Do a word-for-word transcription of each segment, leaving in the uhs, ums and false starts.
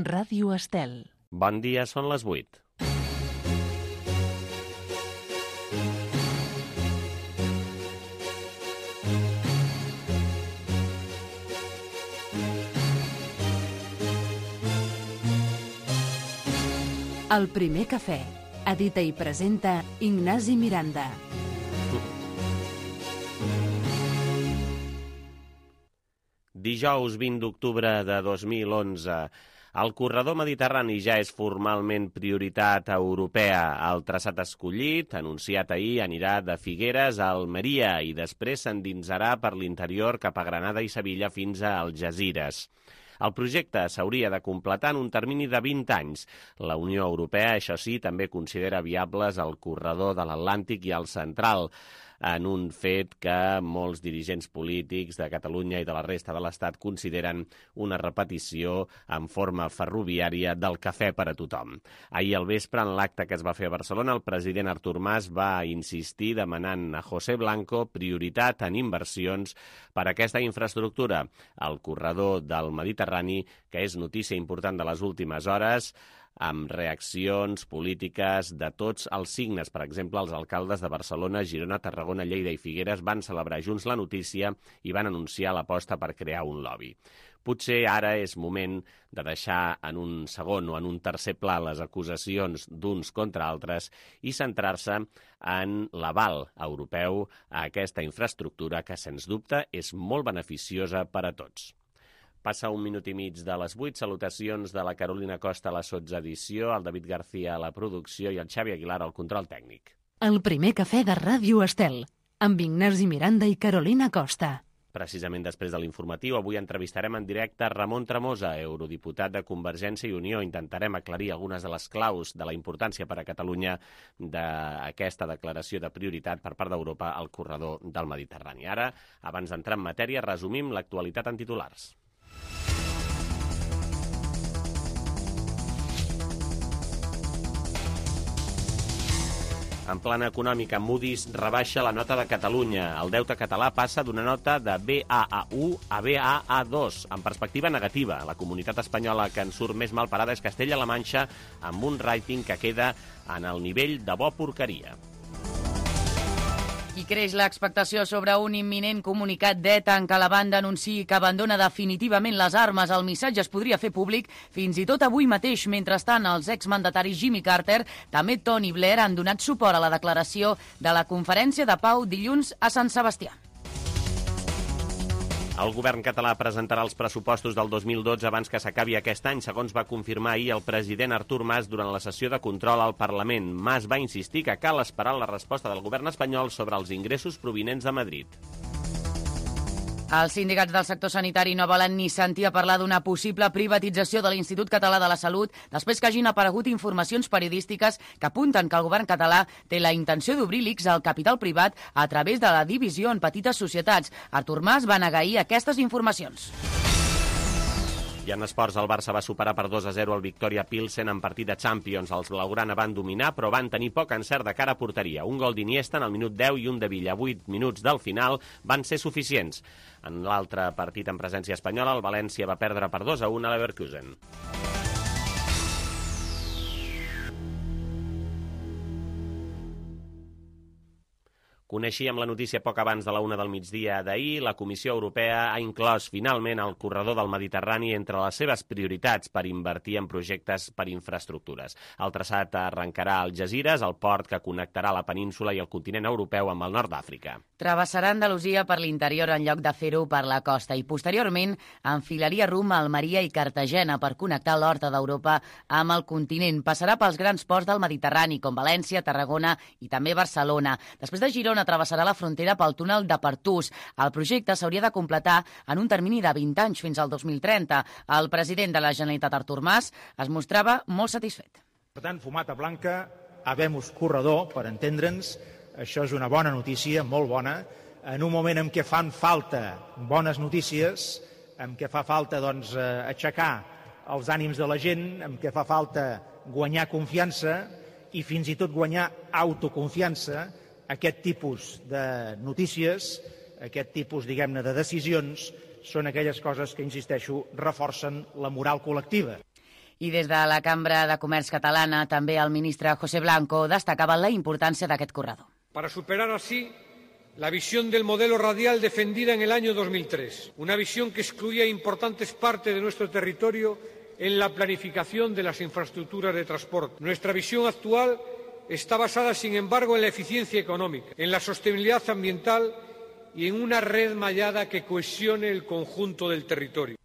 Ràdio Estel. Bon dia, són les vuit. El primer cafè. Edita i presenta Ignasi Miranda. Dijous vint d'octubre de dos mil onze. El corredor mediterrani ja és formalment prioritat europea. El traçat escollit, anunciat ahir, anirà de Figueres a Almeria i després s'endinsarà per l'interior cap a Granada i Sevilla fins a Algesires. El projecte s'hauria de completar en un termini de vint anys. La Unió Europea, això sí, també considera viables el corredor de l'Atlàntic i el Central, en un fet que molts dirigents polítics de Catalunya i de la resta de l'Estat consideren una repetició en forma ferroviària del cafè per a tothom. Ahir al vespre, en l'acte que es va fer a Barcelona, el president Artur Mas va insistir demanant a José Blanco prioritat en inversions per a aquesta infraestructura, el corredor del Mediterrani, que és notícia important de les últimes hores, amb reaccions polítiques de tots els signes. Per exemple, els alcaldes de Barcelona, Girona, Tarragona, Lleida i Figueres van celebrar junts la notícia i van anunciar l'aposta per crear un lobby. Potser ara és moment de deixar en un segon o en un tercer pla les acusacions d'uns contra altres i centrar-se en l'aval europeu a aquesta infraestructura que, sens dubte, és molt beneficiosa per a tots. Passa un minut i mig de les vuit. Salutacions de la Carolina Costa a la sotsedició, el David García a la producció i el Xavi Aguilar al control tècnic. El primer cafè de Ràdio Estel, amb Ignasi Miranda i Carolina Costa. Precisament després de l'informatiu, avui entrevistarem en directe Ramon Tremosa, eurodiputat de Convergència i Unió. Intentarem aclarir algunes de les claus de la importància per a Catalunya d'aquesta declaració de prioritat per part d'Europa al corredor del Mediterrani. Ara, abans d'entrar en matèria, resumim l'actualitat en titulars. En plana econòmica, Moody's rebaixa la nota de Catalunya. El deute català passa d'una nota de B A A u a B A A dos, en perspectiva negativa. La comunitat espanyola que en surt més mal parada és Castella-La Manxa, amb un rating que queda en el nivell de bo porqueria. I creix l'expectació sobre un imminent comunicat d'ETA en què la banda anunciï que abandona definitivament les armes. El missatge es podria fer públic fins i tot avui mateix. Mentrestant, els exmandataris Jimmy Carter, també Tony Blair, han donat suport a la declaració de la Conferència de Pau dilluns a Sant Sebastià. El govern català presentarà els pressupostos del dos mil dotze abans que s'acabi aquest any, segons va confirmar ahir el president Artur Mas durant la sessió de control al Parlament. Mas va insistir que cal esperar la resposta del govern espanyol sobre els ingressos provinents de Madrid. Els sindicats del sector sanitari no volen ni sentir a parlar d'una possible privatització de l'Institut Català de la Salut després que hagin aparegut informacions periodístiques que apunten que el govern català té la intenció d'obrir l'I C S al capital privat a través de la divisió en petites societats. Artur Mas va negar ahir aquestes informacions. I en esports, el Barça va superar per dos a zero el Victoria Pilsen en partit de Champions. Els blaugrana van dominar, però van tenir poc encert de cara a porteria. Un gol d'Iniesta en el minut deu i un de Villa. Vuit minuts del final van ser suficients. En l'altre partit en presència espanyola, el València va perdre per dos a un a l'Leverkusen. Coneixíem la notícia poc abans de la una del migdia d'ahir. La Comissió Europea ha inclòs finalment el corredor del Mediterrani entre les seves prioritats per invertir en projectes per infraestructures. El traçat arrencarà a Algesires, el port que connectarà la península i el continent europeu amb el nord d'Àfrica. Travessarà Andalusia per l'interior en lloc de fer-ho per la costa i posteriorment enfilaria rumb a Almeria i Cartagena per connectar l'horta d'Europa amb el continent. Passarà pels grans ports del Mediterrani com València, Tarragona i també Barcelona. Després de Girona travessarà la frontera pel túnel de Pertús. El projecte s'hauria de completar en un termini de vint anys fins al dos mil trenta. El president de la Generalitat, Artur Mas, es mostrava molt satisfet. Per tant, fumata blanca, habemus corredor, per entendre'ns. Això és una bona notícia, molt bona, en un moment en què fan falta bones notícies, en què fa falta doncs, aixecar els ànims de la gent, en què fa falta guanyar confiança i fins i tot guanyar autoconfiança. Aquest tipus de notícies, aquest tipus, diguem-ne, de decisions, són aquelles coses que, insisteixo, reforcen la moral col·lectiva. I des de la Cambra de Comerç catalana, també el ministre José Blanco destacava la importància d'aquest corredor. Para superar así la visión del modelo radial defendida en el año dos mil tres, una visión que excluía importantes partes de nuestro territorio en la planificación de las infraestructuras de transporte. Nuestra visión actual está basada, sin embargo, en la eficiencia económica, en la sostenibilidad ambiental y en una red mallada que cohesione el conjunto del territorio.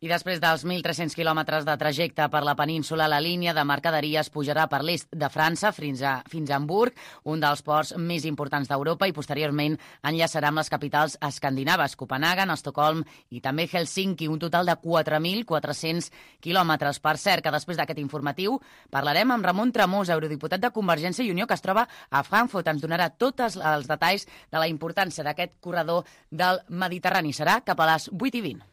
I després dels mil tres-cents quilòmetres de trajecte per la península, la línia de mercaderies pujarà per l'est de França fins a, fins a Hamburg, un dels ports més importants d'Europa, i posteriorment enllaçarà amb les capitals escandinaves, Copenhagen, Estocolm i també Helsinki, un total de quatre mil quatre-cents quilòmetres. Per cert, que després d'aquest informatiu parlarem amb Ramon Tramós, eurodiputat de Convergència i Unió, que es troba a Frankfurt. Ens donarà tots els detalls de la importància d'aquest corredor del Mediterrani. Serà cap a les vuit i vint.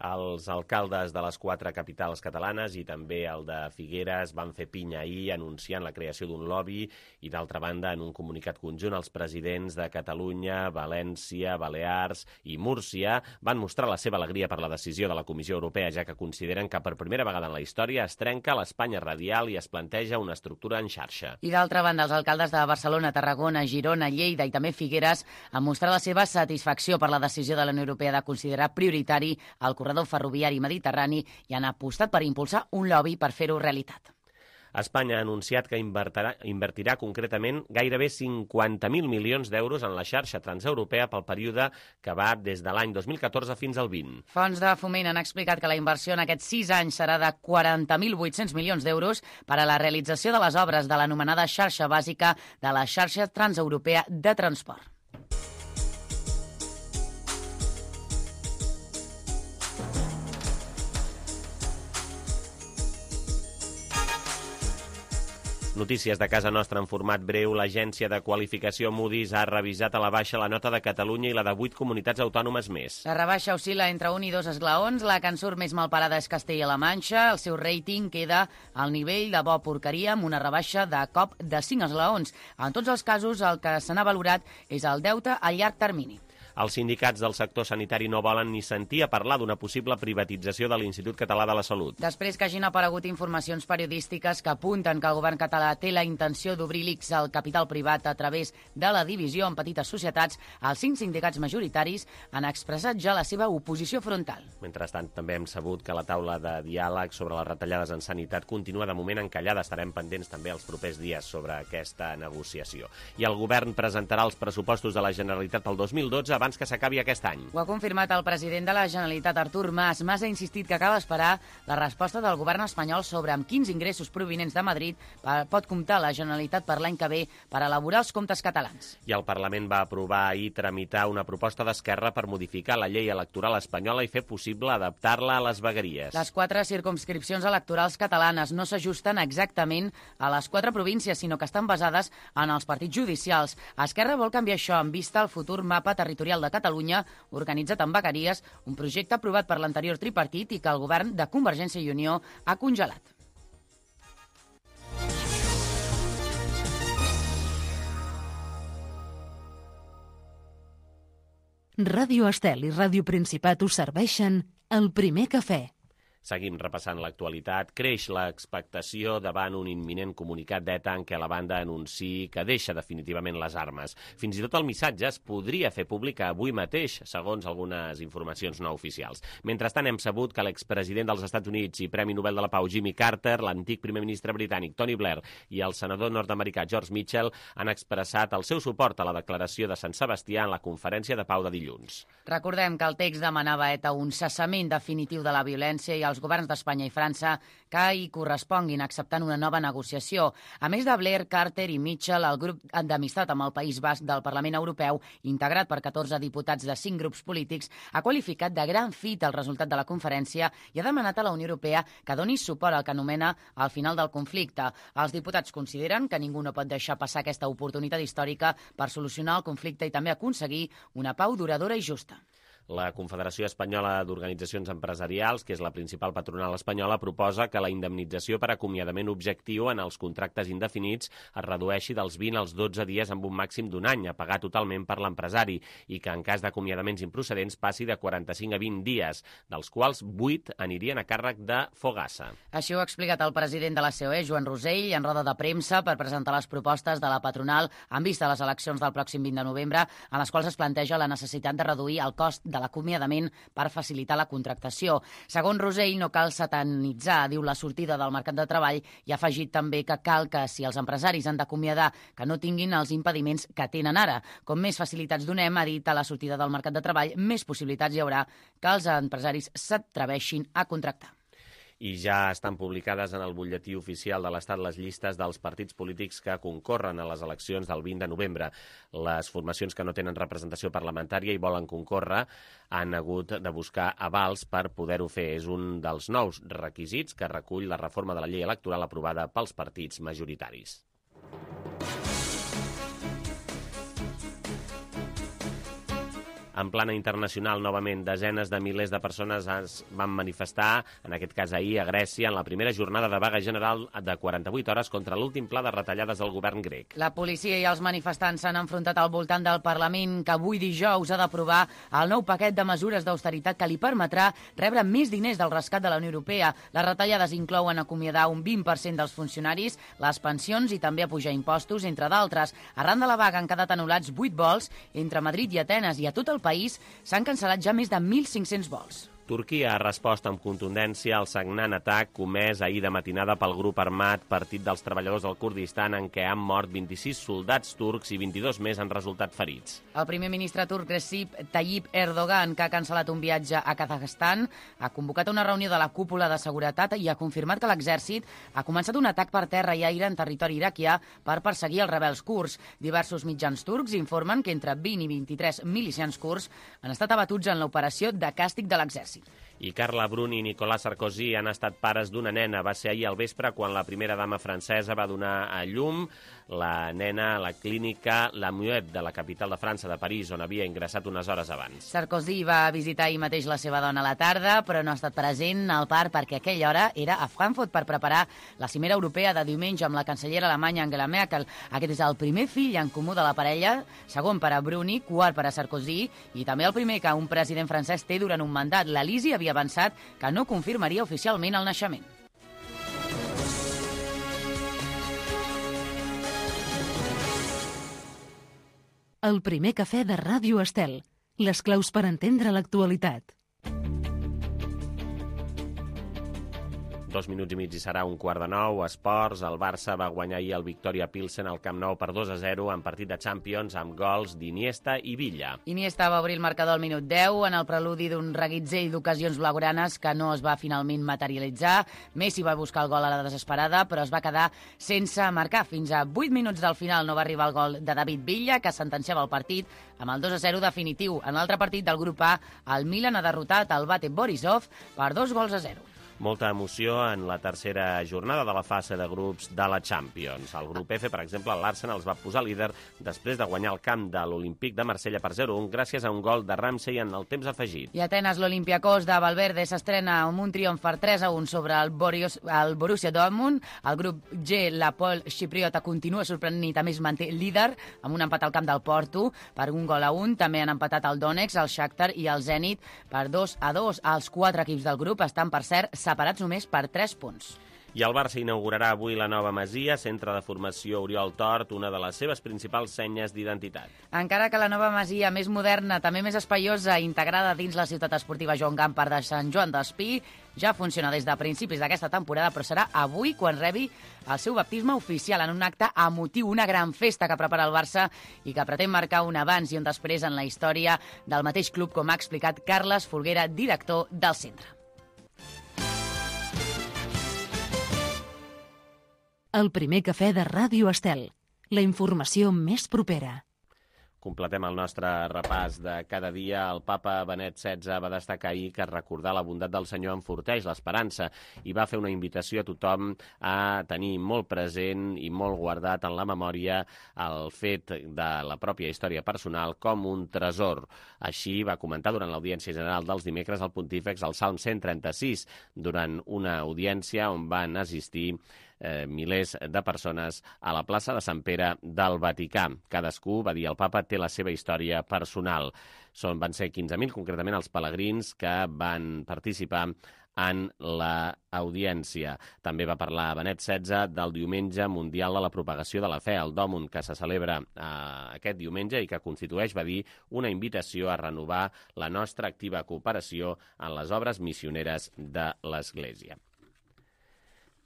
Els alcaldes de les quatre capitals catalanes i també el de Figueres van fer pinya ahir anunciant la creació d'un lobby i, d'altra banda, en un comunicat conjunt, els presidents de Catalunya, València, Balears i Múrcia van mostrar la seva alegria per la decisió de la Comissió Europea, ja que consideren que per primera vegada en la història es trenca l'Espanya radial i es planteja una estructura en xarxa. I, d'altra banda, els alcaldes de Barcelona, Tarragona, Girona, Lleida i també Figueres han mostrat la seva satisfacció per la decisió de la Unió Europea de considerar prioritari el corredor ferroviari mediterrani i han apostat per impulsar un lobby per fer-ho realitat. Espanya ha anunciat que invertirà, invertirà concretament gairebé cinquanta mil milions d'euros en la xarxa transeuropea pel període que va des de l'any dos mil catorze fins al vint. Fons de Foment han explicat que la inversió en aquests sis anys serà de quaranta mil vuit-cents milions d'euros per a la realització de les obres de l'anomenada xarxa bàsica de la xarxa transeuropea de transport. Notícies de casa nostra en format breu. L'agència de qualificació Moody's ha revisat a la baixa la nota de Catalunya i la de vuit comunitats autònomes més. La rebaixa oscil·la entre un i dos esglaons. La que en surt més malparada és Castella-La Manxa. El seu rating queda al nivell de bo porqueria amb una rebaixa de cop de cinc esglaons. En tots els casos, el que se n'ha valorat és el deute a llarg termini. Els sindicats del sector sanitari no volen ni sentir a parlar d'una possible privatització de l'Institut Català de la Salut. Després que hagin aparegut informacions periodístiques que apunten que el govern català té la intenció d'obrir l'I C S al capital privat a través de la divisió en petites societats, els cinc sindicats majoritaris han expressat ja la seva oposició frontal. Mentrestant, també hem sabut que la taula de diàleg sobre les retallades en sanitat continua de moment encallada. Estarem pendents també els propers dies sobre aquesta negociació. I el govern presentarà els pressupostos de la Generalitat pel dos mil dotze abans que s'acabi aquest any. Ho ha confirmat el president de la Generalitat, Artur Mas. Mas ha insistit que cal esperar la resposta del govern espanyol sobre amb quins ingressos provinents de Madrid pot comptar la Generalitat per l'any que ve per elaborar els comptes catalans. I el Parlament va aprovar ahir tramitar una proposta d'Esquerra per modificar la llei electoral espanyola i fer possible adaptar-la a les vegueries. Les quatre circumscripcions electorals catalanes no s'ajusten exactament a les quatre províncies, sinó que estan basades en els partits judicials. Esquerra vol canviar això en vista al futur mapa territorial de Catalunya, organitzat en vegueries, un projecte aprovat per l'anterior tripartit i que el govern de Convergència i Unió ha congelat. Ràdio Estel i Ràdio Principat us serveixen el primer cafè. Seguim repassant l'actualitat. Creix l'expectació davant un imminent comunicat d'ETA en què la banda anunciï que deixa definitivament les armes. Fins i tot el missatge es podria fer públic avui mateix, segons algunes informacions no oficials. Mentrestant, hem sabut que l'expresident dels Estats Units i Premi Nobel de la Pau Jimmy Carter, l'antic primer ministre britànic Tony Blair i el senador nord-americà George Mitchell han expressat el seu suport a la declaració de Sant Sebastià en la conferència de pau de dilluns. Recordem que el text demanava a ETA un cessament definitiu de la violència i els governs d'Espanya i França que hi corresponguin acceptant una nova negociació. A més de Blair, Carter i Mitchell, el grup d'amistat amb el País Basc del Parlament Europeu, integrat per catorze diputats de cinc grups polítics, ha qualificat de gran fita el resultat de la conferència i ha demanat a la Unió Europea que doni suport al que anomena el final del conflicte. Els diputats consideren que ningú no pot deixar passar aquesta oportunitat històrica per solucionar el conflicte i també aconseguir una pau duradora i justa. La Confederació Espanyola d'Organitzacions Empresarials, que és la principal patronal espanyola, proposa que la indemnització per acomiadament objectiu en els contractes indefinits es redueixi dels vint als dotze dies amb un màxim d'un any a pagar totalment per l'empresari i que en cas d'acomiadaments improcedents passi de quaranta-cinc a vint dies, dels quals vuit anirien a càrrec de Fogassa. Així ho ha explicat el president de la C O E, Joan Rosell, en roda de premsa per presentar les propostes de la patronal en vista a les eleccions del pròxim vint de novembre, en les quals es planteja la necessitat de reduir el cost de l'acomiadament per facilitar la contractació. Segons Rosell, no cal satanitzar, diu, la sortida del mercat de treball i ha afegit també que cal que, si els empresaris han d'acomiadar, que no tinguin els impediments que tenen ara. Com més facilitats donem, ha dit, a la sortida del mercat de treball, més possibilitats hi haurà que els empresaris s'atreveixin a contractar. I ja estan publicades en el butlletí oficial de l'Estat les llistes dels partits polítics que concorren a les eleccions del vint de novembre. Les formacions que no tenen representació parlamentària i volen concórrer han hagut de buscar avals per poder-ho fer. És un dels nous requisits que recull la reforma de la llei electoral aprovada pels partits majoritaris. En plana internacional, novament, desenes de milers de persones es van manifestar, en aquest cas ahir, a Grècia, en la primera jornada de vaga general de quaranta-vuit hores contra l'últim pla de retallades del govern grec. La policia i els manifestants s'han enfrontat al voltant del Parlament, que avui dijous ha d'aprovar el nou paquet de mesures d'austeritat que li permetrà rebre més diners del rescat de la Unió Europea. Les retallades inclouen acomiadar un vint per cent dels funcionaris, les pensions i també apujar impostos, entre d'altres. Arran de la vaga han quedat anul·lats vuit vols entre Madrid i Atenes i a tot el país s'han cancel·lat ja més de mil cinc-cents vols. Turquia ha respost amb contundència al sagnant atac comès ahir de matinada pel grup armat Partit dels Treballadors del Kurdistan, en què han mort vint-i-sis soldats turcs i vint-i-dos més han resultat ferits. El primer ministre turc Recep Tayyip Erdogan, que ha cancel·lat un viatge a Kazakhstan, ha convocat una reunió de la cúpula de seguretat i ha confirmat que l'exèrcit ha començat un atac per terra i aire en territori iraquià per perseguir els rebels kurds. Diversos mitjans turcs informen que entre vint i vint-i-tres milicians kurds han estat abatuts en l'operació de càstig de l'exèrcit. I Carla Bruni i Nicolas Sarkozy han estat pares d'una nena. Va ser ahir al vespre quan la primera dama francesa va donar a llum la nena a la clínica La Muette de la capital de França, de París, on havia ingressat unes hores abans. Sarkozy va visitar ahir mateix la seva dona a la tarda, però no ha estat present al parc perquè a aquella hora era a Frankfurt per preparar la cimera europea de diumenge amb la cancellera alemanya Angela Merkel. Aquest és el primer fill en comú de la parella, segon per a Bruni, quart per a Sarkozy, i també el primer que un president francès té durant un mandat. La Lisi havia avançat que no confirmaria oficialment el naixement. El primer cafè de Ràdio Estel. Les claus per entendre l'actualitat. Dos minuts i mig i serà un quart de nou. Esports, el Barça va guanyar ahir el Victoria Pilsen al Camp Nou per dos a zero en partit de Champions amb gols d'Iniesta i Villa. Iniesta va obrir el marcador al minut deu en el preludi d'un reguitzell d'ocasions blaugranes que no es va finalment materialitzar. Messi va buscar el gol a la desesperada, però es va quedar sense marcar. Fins a vuit minuts del final no va arribar el gol de David Villa, que sentenciava el partit amb el dos a zero definitiu. En l'altre partit del grup A, el Milan ha derrotat el Bate Borisov per dos gols a zero. Molta emoció en la tercera jornada de la fase de grups de la Champions. Al grup F, per exemple, l'Arsenal es va posar líder després de guanyar el camp de l'Olímpic de Marsella per zero a un gràcies a un gol de Ramsey en el temps afegit. I a Atenes, l'Olympiacos de Valverde s'estrena amb un triomf per tres a un sobre el, Boris, el Borussia Dortmund. El grup G, l'Apol Xipriota, continua sorprenent i també es manté líder amb un empat al camp del Porto per un gol a un. També han empatat el Donetsk, el Shakhtar i el Zenit per dos a dos. Els quatre equips del grup estan, per cert, separats només per tres punts. I el Barça inaugurarà avui la nova Masia, centre de formació Oriol Tort, una de les seves principals senyes d'identitat. Encara que la nova Masia, més moderna, també més espaiosa, integrada dins la ciutat esportiva Joan Gamper de Sant Joan d'Espí, ja funciona des de principis d'aquesta temporada, però serà avui quan rebi el seu baptisme oficial en un acte emotiu, una gran festa que prepara el Barça i que pretén marcar un abans i un després en la història del mateix club, com ha explicat Carles Folguera, director del centre. El primer cafè de Ràdio Estel. La informació més propera. Completem el nostre repàs de cada dia. El papa Benet setze va destacar ahir que recordar la bondat del Senyor enforteix l'esperança i va fer una invitació a tothom a tenir molt present i molt guardat en la memòria el fet de la pròpia història personal com un tresor. Així va comentar durant l'audiència general dels dimecres el pontífex al Salm cent trenta-sis, durant una audiència on van assistir Eh, milers de persones a la plaça de Sant Pere del Vaticà. Cadascú, va dir el papa, té la seva història personal. Són, van ser quinze mil, concretament, els pelegrins que van participar en l'audiència. També va parlar Benet setze del Diumenge Mundial de la Propagació de la Fe, el Dòmun, que se celebra eh, aquest diumenge i que constitueix, va dir, una invitació a renovar la nostra activa cooperació en les obres missioneres de l'Església.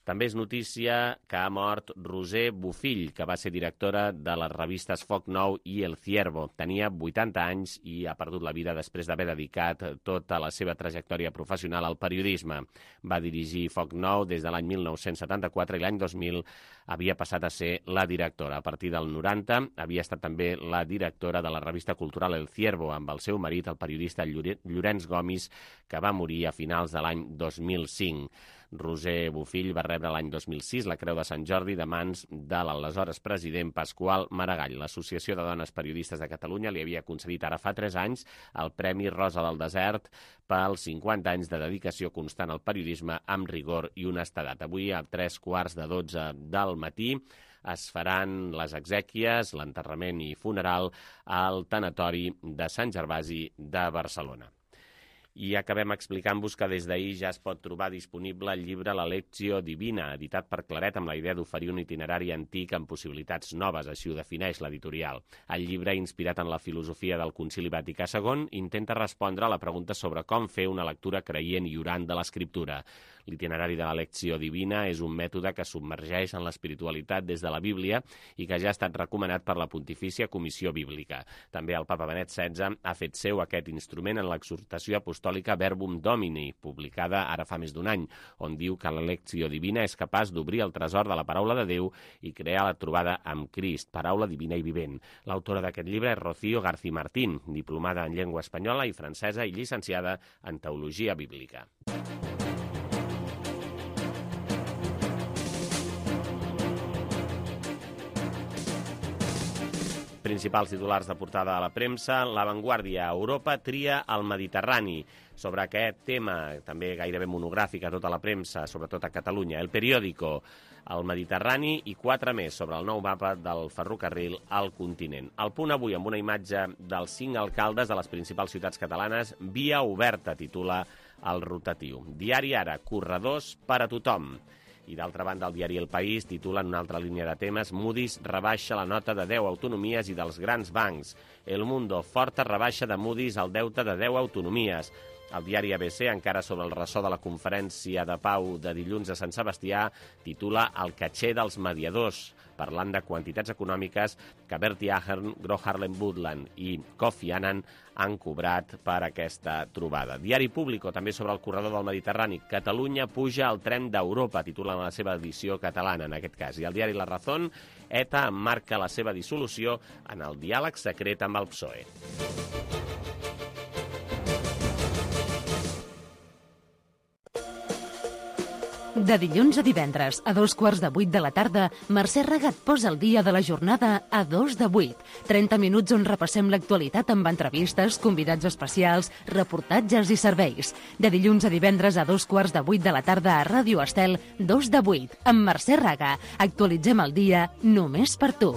També és notícia que ha mort Roser Bofill, que va ser directora de les revistes Foc Nou i El Ciervo. Tenia vuitanta anys i ha perdut la vida després d'haver dedicat tota la seva trajectòria professional al periodisme. Va dirigir Foc Nou des de l'any mil nou-cents setanta-quatre i l'any dos mil havia passat a ser la directora. A partir del noranta havia estat també la directora de la revista cultural El Ciervo, amb el seu marit, el periodista Llorenç Gomis, que va morir a finals de l'any dos mil cinc. Roser Bofill va rebre l'any dos mil sis la Creu de Sant Jordi de mans de l'aleshores president Pasqual Maragall. L'Associació de Dones Periodistes de Catalunya li havia concedit ara fa tres anys el Premi Rosa del Desert pels cinquanta anys de dedicació constant al periodisme amb rigor i honestedat. Avui, a tres quarts de dotze del matí, es faran les exèquies, l'enterrament i funeral al tanatori de Sant Gervasi de Barcelona. I acabem explicant-vos que des d'ahir ja es pot trobar disponible el llibre La Lectio Divina, editat per Claret amb la idea d'oferir un itinerari antic amb possibilitats noves, així ho defineix l'editorial. El llibre, inspirat en la filosofia del Concili Vaticà segon, intenta respondre a la pregunta sobre com fer una lectura creient i orant de l'Escriptura. L'itinerari de la Lectio Divina és un mètode que submergeix en l'espiritualitat des de la Bíblia i que ja ha estat recomanat per la Pontifícia Comissió Bíblica. També el papa Benet setze ha fet seu aquest instrument en l'exhortació apostòlica Verbum Domini, publicada ara fa més d'un any, on diu que la Lectio Divina és capaç d'obrir el tresor de la paraula de Déu i crear la trobada amb Crist, paraula divina i vivent. L'autora d'aquest llibre és Rocío García Martín, diplomada en llengua espanyola i francesa i llicenciada en teologia bíblica. Principals titulars de portada de la premsa. La Vanguardia. Europa tria el Mediterrani. Sobre aquest tema, també gairebé monogràfic a tota la premsa, sobretot a Catalunya. El Periódico, el Mediterrani i quatre més sobre el nou mapa del ferrocarril al continent. El Punt avui amb una imatge dels cinc alcaldes de les principals ciutats catalanes. Via oberta, titula el rotatiu. Diari Ara, corredors per a tothom. I d'altra banda, el diari El País titula en una altra línia de temes: Moody's rebaixa la nota de deu autonomies i dels grans bancs. El Mundo, forta rebaixa de Moody's al deute de deu autonomies. El diari A B C, encara sobre el ressò de la conferència de pau de dilluns a Sant Sebastià, titula El caché dels mediadors, parlant de quantitats econòmiques que Bertie Ahern, Gro Harlem Brundtland i Kofi Annan han cobrat per aquesta trobada. Diari Público, també sobre el corredor del Mediterrani. Catalunya puja al tren d'Europa, titula la seva edició catalana, en aquest cas. I el diari La Razón, ETA emmarca la seva dissolució en el diàleg secret amb el P S O E. De dilluns a divendres, a dos quarts de vuit de la tarda, Mercè Raga et posa el dia de la jornada a dos de vuit. trenta minuts on repassem l'actualitat amb entrevistes, convidats especials, reportatges i serveis. De dilluns a divendres a dos quarts de vuit de la tarda a Ràdio Estel, dos de vuit, amb Mercè Raga. Actualitzem el dia només per tu.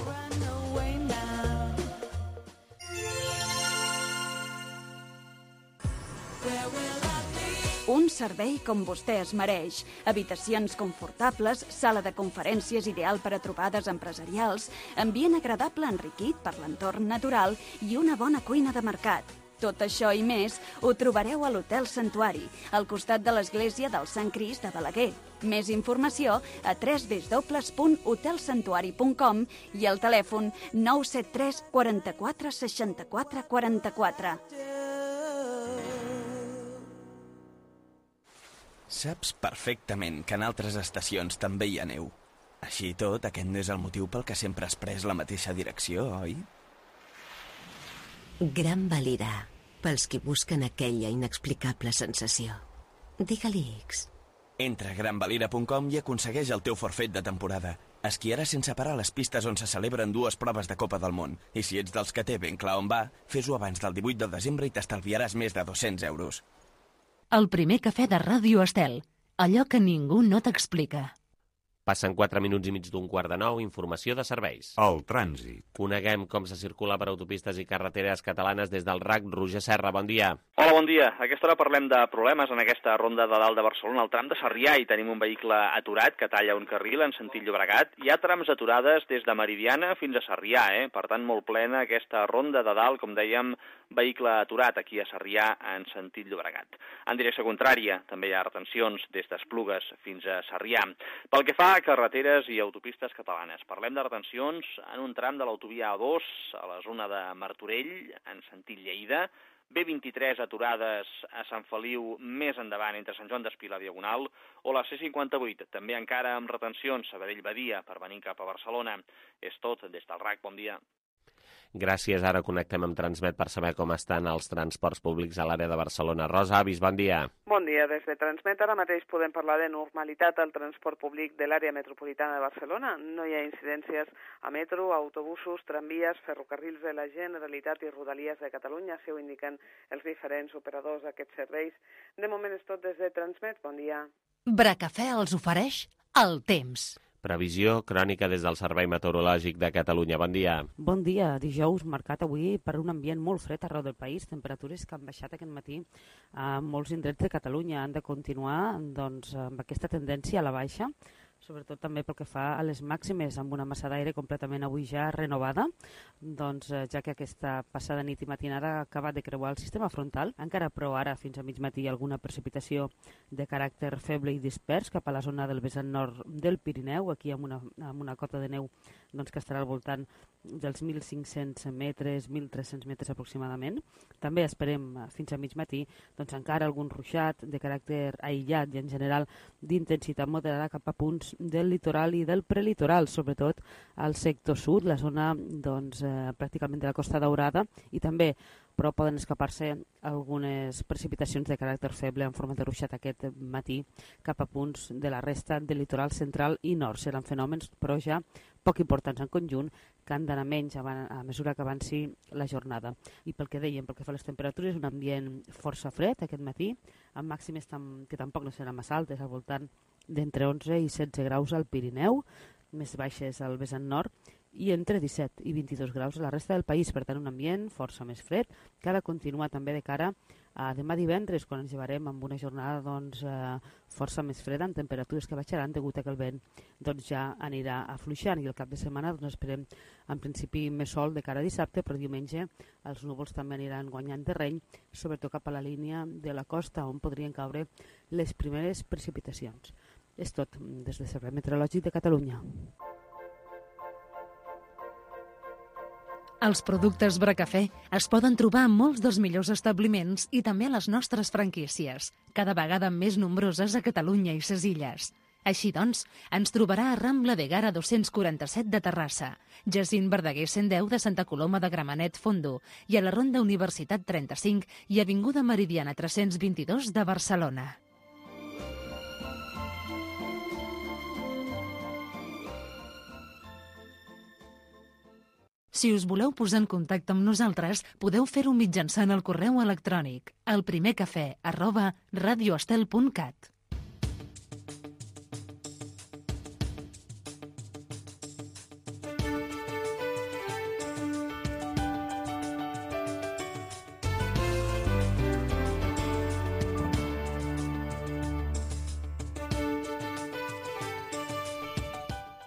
Un servei com vostè es mereix. Habitacions confortables, sala de conferències ideal per a trobades empresarials, ambient agradable enriquit per l'entorn natural i una bona cuina de mercat. Tot això i més ho trobareu a l'Hotel Santuari, al costat de l'església del Sant Crist de Balaguer. Més informació a w w w punt hotel santuari punt com i al telèfon nou set tres quaranta-quatre seixanta-quatre quaranta-quatre. Saps perfectament que en altres estacions també hi ha neu. Així i tot, aquest no és el motiu pel que sempre has pres la mateixa direcció, oi? Gran Valira, pels qui busquen aquella inexplicable sensació. Digue-li X. Entra a gran valira punt com i aconsegueix el teu forfait de temporada. Esquiaràs sense parar a les pistes on se celebren dues proves de Copa del Món. I si ets dels que té ben clar on va, fes-ho abans del divuit de desembre i t'estalviaràs més de dos-cents euros. El primer cafè de Ràdio Estel. Allò que ningú no t'explica. Passen quatre minuts i mig d'un quart de nou, informació de serveis. El trànsit. Coneguem com se circula per autopistes i carreteres catalanes des del R A C. Roger Serra, bon dia. Hola, bon dia. A aquesta hora parlem de problemes en aquesta ronda de dalt de Barcelona, al tram de Sarrià, i tenim un vehicle aturat que talla un carril en sentit Llobregat. Hi ha trams aturades des de Meridiana fins a Sarrià, eh? Per tant, molt plena aquesta ronda de dalt, com dèiem, vehicle aturat aquí a Sarrià en sentit Llobregat. En direcció contrària també hi ha retencions des d'Esplugues fins a Sarrià. Pel que fa a carreteres i autopistes catalanes, parlem de retencions en un tram de l'autovia A dos a la zona de Martorell en sentit Lleida, B vint-i-tres aturades a Sant Feliu més endavant entre Sant Joan d'Espí i la Diagonal, o la C cinquanta-vuit, també encara amb retencions a Sabadell-Badia per venir cap a Barcelona. És tot des del R A C. Bon dia. Gràcies. Ara connectem amb Transmet per saber com estan els transports públics a l'àrea de Barcelona. Rosa Avis, bon dia. Bon dia. Des de Transmet ara mateix podem parlar de normalitat al transport públic de l'àrea metropolitana de Barcelona. No hi ha incidències a metro, autobusos, tramvies, ferrocarrils de la Generalitat i Rodalies de Catalunya, així ho indiquen els diferents operadors d'aquests serveis. De moment és tot des de Transmet. Bon dia. Bracafè els ofereix el temps. Previsió crònica des del Servei Meteorològic de Catalunya. Bon dia. Bon dia. Dijous marcat avui per un ambient molt fred arreu del país. Temperatures que han baixat aquest matí a molts indrets de Catalunya. Han de continuar doncs, amb aquesta tendència a la baixa, sobretot també pel que fa a les màximes, amb una massa d'aire completament avui ja renovada, doncs, ja que aquesta passada nit i matinada ha acabat de creuar el sistema frontal, encara però ara fins a mig matí alguna precipitació de caràcter feble i dispers cap a la zona del vessant nord del Pirineu, aquí amb una, amb una cota de neu doncs, que estarà al voltant dels mil cinc-cents metres, mil tres-cents metres aproximadament. També esperem fins a mig matí doncs, encara algun ruixat de caràcter aïllat i en general d'intensitat moderada cap a punts del litoral i del prelitoral, sobretot al sector sud, la zona doncs, eh, pràcticament de la Costa Daurada, i també però poden escapar-se algunes precipitacions de caràcter feble en forma de ruixat aquest matí cap a punts de la resta del litoral central i nord. Seran fenòmens, però ja poc importants en conjunt, que han d'anar menys a mesura que avanci la jornada. I pel que dèiem, pel que fa a les temperatures, un ambient força fred aquest matí, amb màximes que tampoc no seran massa altes, al voltant d'entre onze i setze graus al Pirineu, més baixes al vessant nord, i entre disset i vint-i-dos graus a la resta del país. Per tant, un ambient força més fred, que ha de continuar també de cara a demà divendres, quan ens llevarem amb una jornada doncs, eh, força més freda, amb temperatures que baixaran degut a que el vent doncs, ja anirà afluixant, i el cap de setmana doncs, esperem en principi més sol de cara a dissabte, però diumenge els núvols també aniran guanyant terreny, sobretot cap a la línia de la costa, on podrien caure les primeres precipitacions. És tot des del Servei Meteorològic de Catalunya. Els productes Bracafè es poden trobar en molts dels millors establiments i també a les nostres franquícies, cada vegada més nombroses a Catalunya i ses Illes. Així doncs, ens trobarà a Rambla de Gara dos-cents quaranta-set de Terrassa, Jacint Verdaguer cent deu de Santa Coloma de Gramenet Fondo i a la Ronda Universitat trenta-cinc i Avinguda Meridiana tres-cents vint-i-dos de Barcelona. Si us voleu posar en contacte amb nosaltres, podeu fer-ho mitjançant el correu electrònic elprimercafè arroba radioestel punt cat.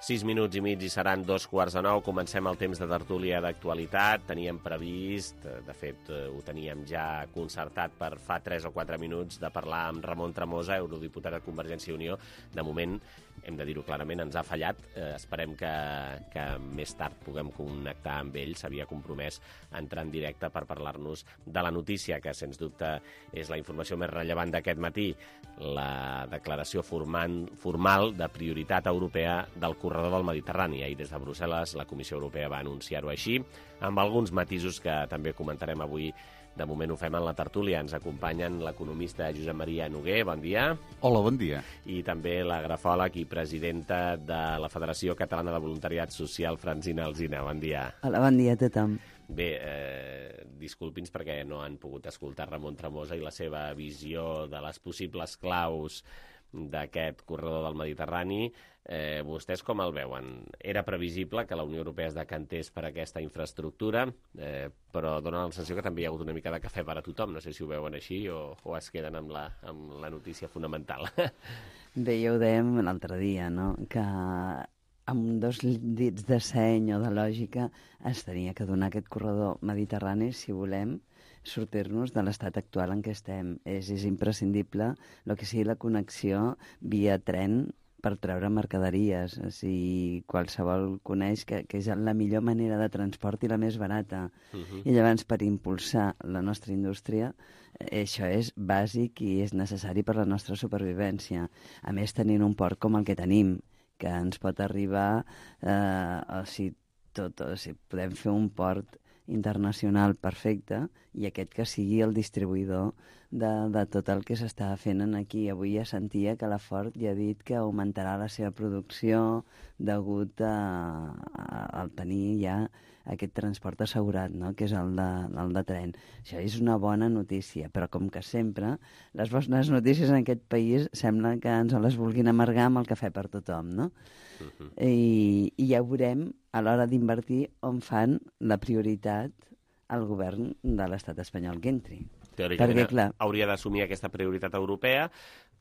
Sis minuts i mig i seran dos quarts de nou. Comencem el temps de tertúlia d'actualitat. Teníem previst, de fet ho teníem ja concertat per fa tres o quatre minuts, de parlar amb Ramon Tremosa, eurodiputat de Convergència i Unió. De moment, hem de dir-ho clarament, ens ha fallat. Eh, esperem que, que més tard puguem connectar amb ell. S'havia compromès a entrar en directe per parlar-nos de la notícia, que sens dubte és la informació més rellevant d'aquest matí, la declaració formal, formal de prioritat europea del corredor corredor del Mediterrani. Ahir des de Brussel·les la Comissió Europea va anunciar-ho així, amb alguns matisos que també comentarem avui. De moment ho fem en la tertúlia. Ens acompanyen l'economista Josep Maria Noguer, bon dia. Hola, bon dia. I també la grafòleg i presidenta de la Federació Catalana de Voluntariat Social, Francina Alsina, bon dia. Hola, bon dia a tothom. Bé, eh, disculpi'ns perquè no han pogut escoltar Ramon Tremosa i la seva visió de les possibles claus d'aquest corredor del Mediterrani. Eh, vostès com el veuen? Era previsible que la Unió Europea es decantés per aquesta infraestructura, eh, però dona la sensació que també hi ha hagut una mica de cafè per a tothom. No sé si ho veuen així o, o es queden amb la, amb la notícia fonamental. Bé, ja ho dèiem l'altre dia, no?, que amb dos dits de seny o de lògica es tenia que donar aquest corredor mediterrani si volem sortir-nos de l'estat actual en què estem. És, és imprescindible el que sigui la connexió via tren per treure mercaderies. O sigui, qualsevol coneix que, que és la millor manera de transport i la més barata. Uh-huh. I llavors, per impulsar la nostra indústria, això és bàsic i és necessari per la nostra supervivència. A més, tenint un port com el que tenim, que ens pot arribar, eh, o sigui, tot, o sigui, podem fer un port internacional perfecte i aquest que sigui el distribuïdor de, de tot el que s'està fent aquí. Avui ja sentia que la Ford ja ha dit que augmentarà la seva producció degut a, a, a tenir ja aquest transport assegurat, no?, que és el de, el de tren. Això és una bona notícia, però com que sempre, les bones notícies en aquest país sembla que ens les vulguin amargar amb el cafè per tothom, no? Uh-huh. I, I ja veurem a l'hora d'invertir on fan la prioritat al govern de l'estat espanyol que entri. Teòricament Perquè, clar, hauria d'assumir aquesta prioritat europea,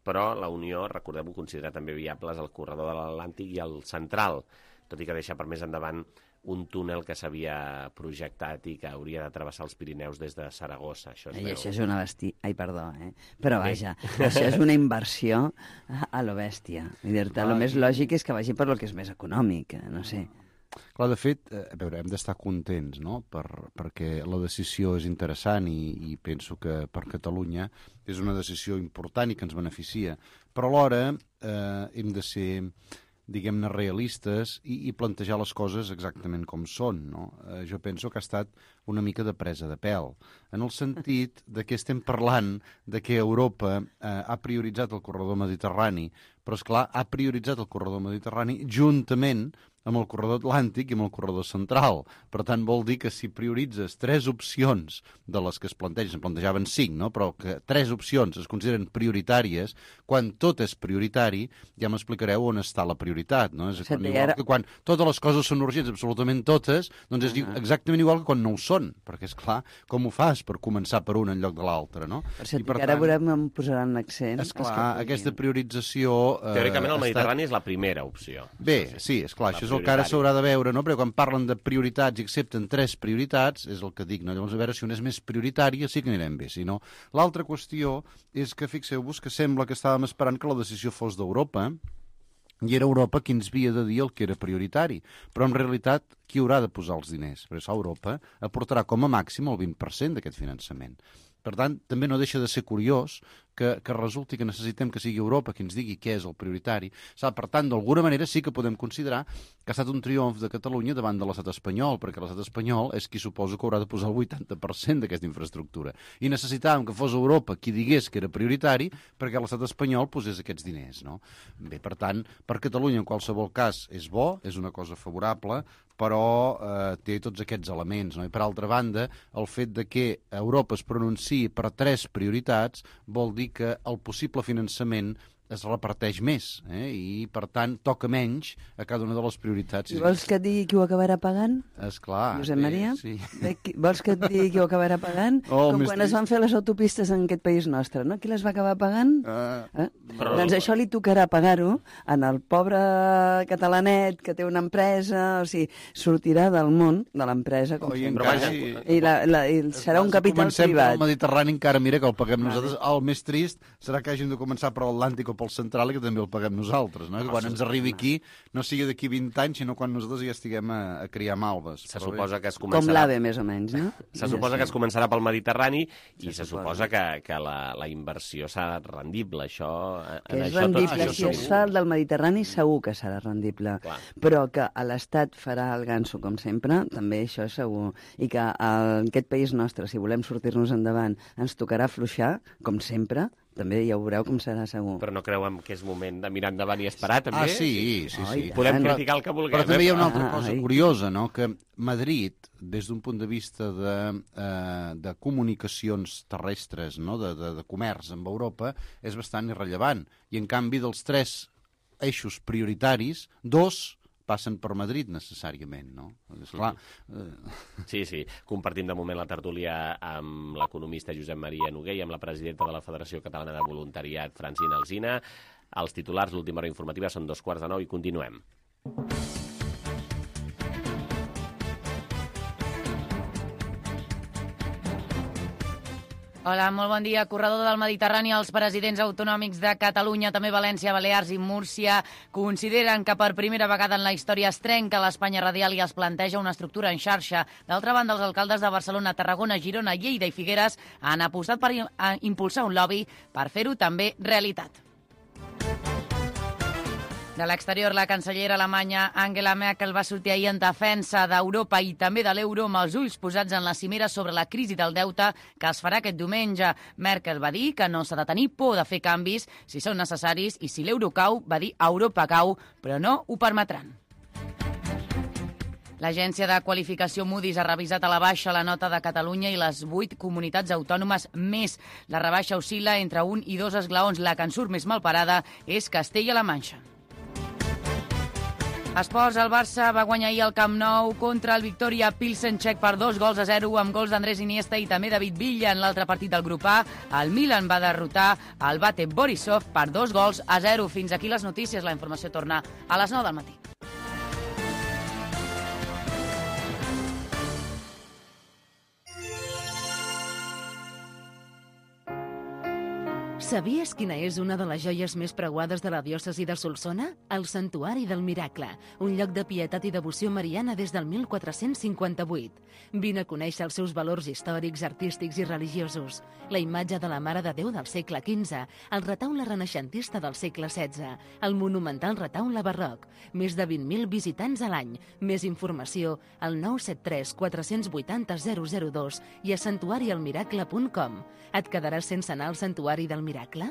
però la Unió, recordem-ho, considera també viables el corredor de l'Atlàntic i el central, tot i que deixa per més endavant un túnel que s'havia projectat i que hauria de travessar els Pirineus des de Saragossa. Això, I veu... això és una bèstia. Ai, perdó, eh? Però vaja, això és una inversió a, a lo bèstia. Dir-te, el més lògic és que vagi per lo que és més econòmic, no sé. Clar, de fet, eh, a veure, hem d'estar contents, no?, per, perquè la decisió és interessant i, i penso que per Catalunya és una decisió important i que ens beneficia. Però alhora eh, hem de ser, diguem-ne, realistes i, i plantejar les coses exactament com són, no? Eh, jo penso que ha estat una mica de presa de pèl, en el sentit de que estem parlant de que Europa eh, ha prioritzat el corredor mediterrani, però, esclar, ha prioritzat el corredor mediterrani juntament amb el corredor atlàntic i amb el corredor central. Per tant, vol dir que si prioritzes tres opcions de les que es plantegen, es plantejaven cinc, no?, però que tres opcions es consideren prioritàries, quan tot és prioritari, ja m'explicareu on està la prioritat, no? És quan, igual que quan totes les coses són urgents, absolutament totes, doncs és uh-huh. exactament igual que quan no ho són, perquè, és clar, com ho fas per començar per una en lloc de l'altra, no? Per cert, I per ara tant, veurem on posaran l'accent. Esclar, aquesta priorització... Eh, Teòricament el Mediterrani estat... és la primera opció. Bé, sí, esclar, això és el que ara s'haurà de veure, no? Perquè quan parlen de prioritats i accepten tres prioritats, és el que dic, no? Llavors, a veure si una és més prioritària, sí que anirem bé, si no. L'altra qüestió és que, fixeu-vos, que sembla que estàvem esperant que la decisió fos d'Europa, i era Europa qui ens havia de dir el que era prioritari. Però, en realitat, qui haurà de posar els diners? Perquè Europa aportarà com a màxim el vint per cent d'aquest finançament. Per tant, també no deixa de ser curiós que, que resulti que necessitem que sigui Europa qui ens digui què és el prioritari. Sap, per tant, d'alguna manera sí que podem considerar que ha estat un triomf de Catalunya davant de l'estat espanyol, perquè l'estat espanyol és qui suposo que haurà de posar el vuitanta per cent d'aquesta infraestructura. I necessitàvem que fos Europa qui digués que era prioritari perquè l'estat espanyol posés aquests diners, no? Bé, per tant, per Catalunya en qualsevol cas és bo, és una cosa favorable, però eh, té tots aquests elements, no? I per altra banda, el fet de que Europa es pronunciï per tres prioritats vol dir que el possible finançament es reparteix més, eh? I, per tant, toca menys a cada una de les prioritats. I vols que et digui qui ho acabarà pagant? Esclar. Josep Maria? Sí. Vols que et digui qui ho acabarà pagant? Oh, Com quan trist. Es van fer les autopistes en aquest país nostre, no? Qui les va acabar pagant? Uh, eh? però... Doncs això li tocarà pagar-ho en el pobre catalanet que té una empresa, o sigui, sortirà del món de l'empresa, com oh, sempre. Encara, sí. I, la, la, i serà un capital comencem privat. Comencem pel Mediterrani, encara, mira, que el paguem vale. Nosaltres. El més trist serà que hàgim de començar per l'Atlàntic o pel central i que també el paguem nosaltres, no? Que quan ens arribi aquí no sigui d'aquí vint anys, sinó quan nosaltres ja estiguem a, a criar malves. Se suposa que es començarà... Com l'A V E, més o menys, no? Se suposa que es començarà pel Mediterrani i se suposa que, que la, la inversió serà rendible. Això, que en és això rendible, tot, si es fa el del Mediterrani segur que serà rendible. Clar. Però que l'Estat farà el ganso, com sempre, també això és segur. I que en aquest país nostre, si volem sortir-nos endavant, ens tocarà afluixar, com sempre, també ja ho veureu com serà segur. Però no creuen que és moment de mirar endavant i esperar, també? Ah, sí, sí, sí. Oh, podem criticar el que vulguem. Però també hi ha una altra Ah, cosa ai. curiosa, no? Que Madrid, des d'un punt de vista de, eh, de comunicacions terrestres, no? de, de, de comerç amb Europa, és bastant irrellevant. I, en canvi, dels tres eixos prioritaris, dos passen per Madrid necessàriament, no? Esclar, eh... Sí, sí. Compartim de moment la tertúlia amb l'economista Josep Maria Noguer i amb la presidenta de la Federació Catalana de Voluntariat, Francina Alsina. Els titulars, l'última hora informativa, són dos quarts de nou i continuem. Hola, molt bon dia. Corredor del Mediterrani, els presidents autonòmics de Catalunya, també València, Balears i Múrcia, consideren que per primera vegada en la història es trenca l'Espanya radial i es planteja una estructura en xarxa. D'altra banda, els alcaldes de Barcelona, Tarragona, Girona, Lleida i Figueres han apostat per impulsar un lobby per fer-ho també realitat. De l'exterior, la cancellera alemanya Angela Merkel va sortir ahir en defensa d'Europa i també de l'euro amb els ulls posats en la cimera sobre la crisi del deute que es farà aquest diumenge. Merkel va dir que no s'ha de tenir por de fer canvis si són necessaris i si l'euro cau, va dir Europa cau, però no ho permetran. L'agència de qualificació Moody's ha revisat a la baixa la nota de Catalunya i les vuit comunitats autònomes més. La rebaixa oscil·la entre un i dos esglaons. La que en surt més malparada és Castella-La Manxa. Esports, el Barça va guanyar ahir al Camp Nou contra el Victoria Pilsen-Txec per dos gols a zero, amb gols d'Andrés Iniesta i també David Villa en l'altre partit del grup A. El Milan va derrotar el Bate Borisov per dos gols a zero. Fins aquí les notícies. La informació torna a les nou del matí. Sabies quina és una de les joies més preuades de la diòcesi de Solsona? El Santuari del Miracle, un lloc de pietat i devoció mariana des del mil quatre-cents cinquanta-vuit. Vine a conèixer els seus valors històrics, artístics i religiosos. La imatge de la Mare de Déu del segle quinze, el retaule renaixentista del segle setze, el monumental retaule barroc, més de vint mil visitants a l'any. Més informació al nou set tres quatre vuit zero zero zero dos i a santuari el miracle punt com. Et quedaràs sense anar al Santuari del Miracle?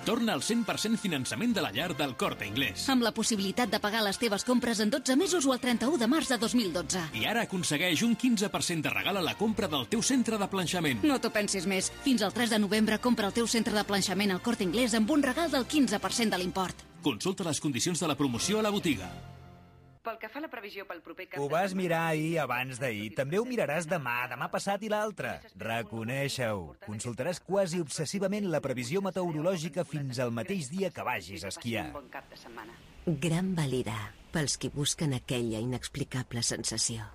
Torna al cent per cent finançament de la llar del Corte Inglés. Amb la possibilitat de pagar les teves compres en dotze mesos o el trenta-u de març de dos mil dotze. I ara aconsegueix un quinze per cent de regal a la compra del teu centre de planxament. No t'ho pensis més. Fins al tres de novembre compra el teu centre de planxament al Corte Inglés amb un regal del quinze per cent de l'import. Consulta les condicions de la promoció a la botiga. Pel que fa a la previsió pel proper cap Ho vas mirar ahir abans d'ahir. També ho miraràs demà, demà passat i l'altre. Reconeixa-ho. Consultaràs quasi obsessivament la previsió meteorològica fins al mateix dia que vagis a esquiar. Gran Valira, pels qui busquen aquella inexplicable sensació.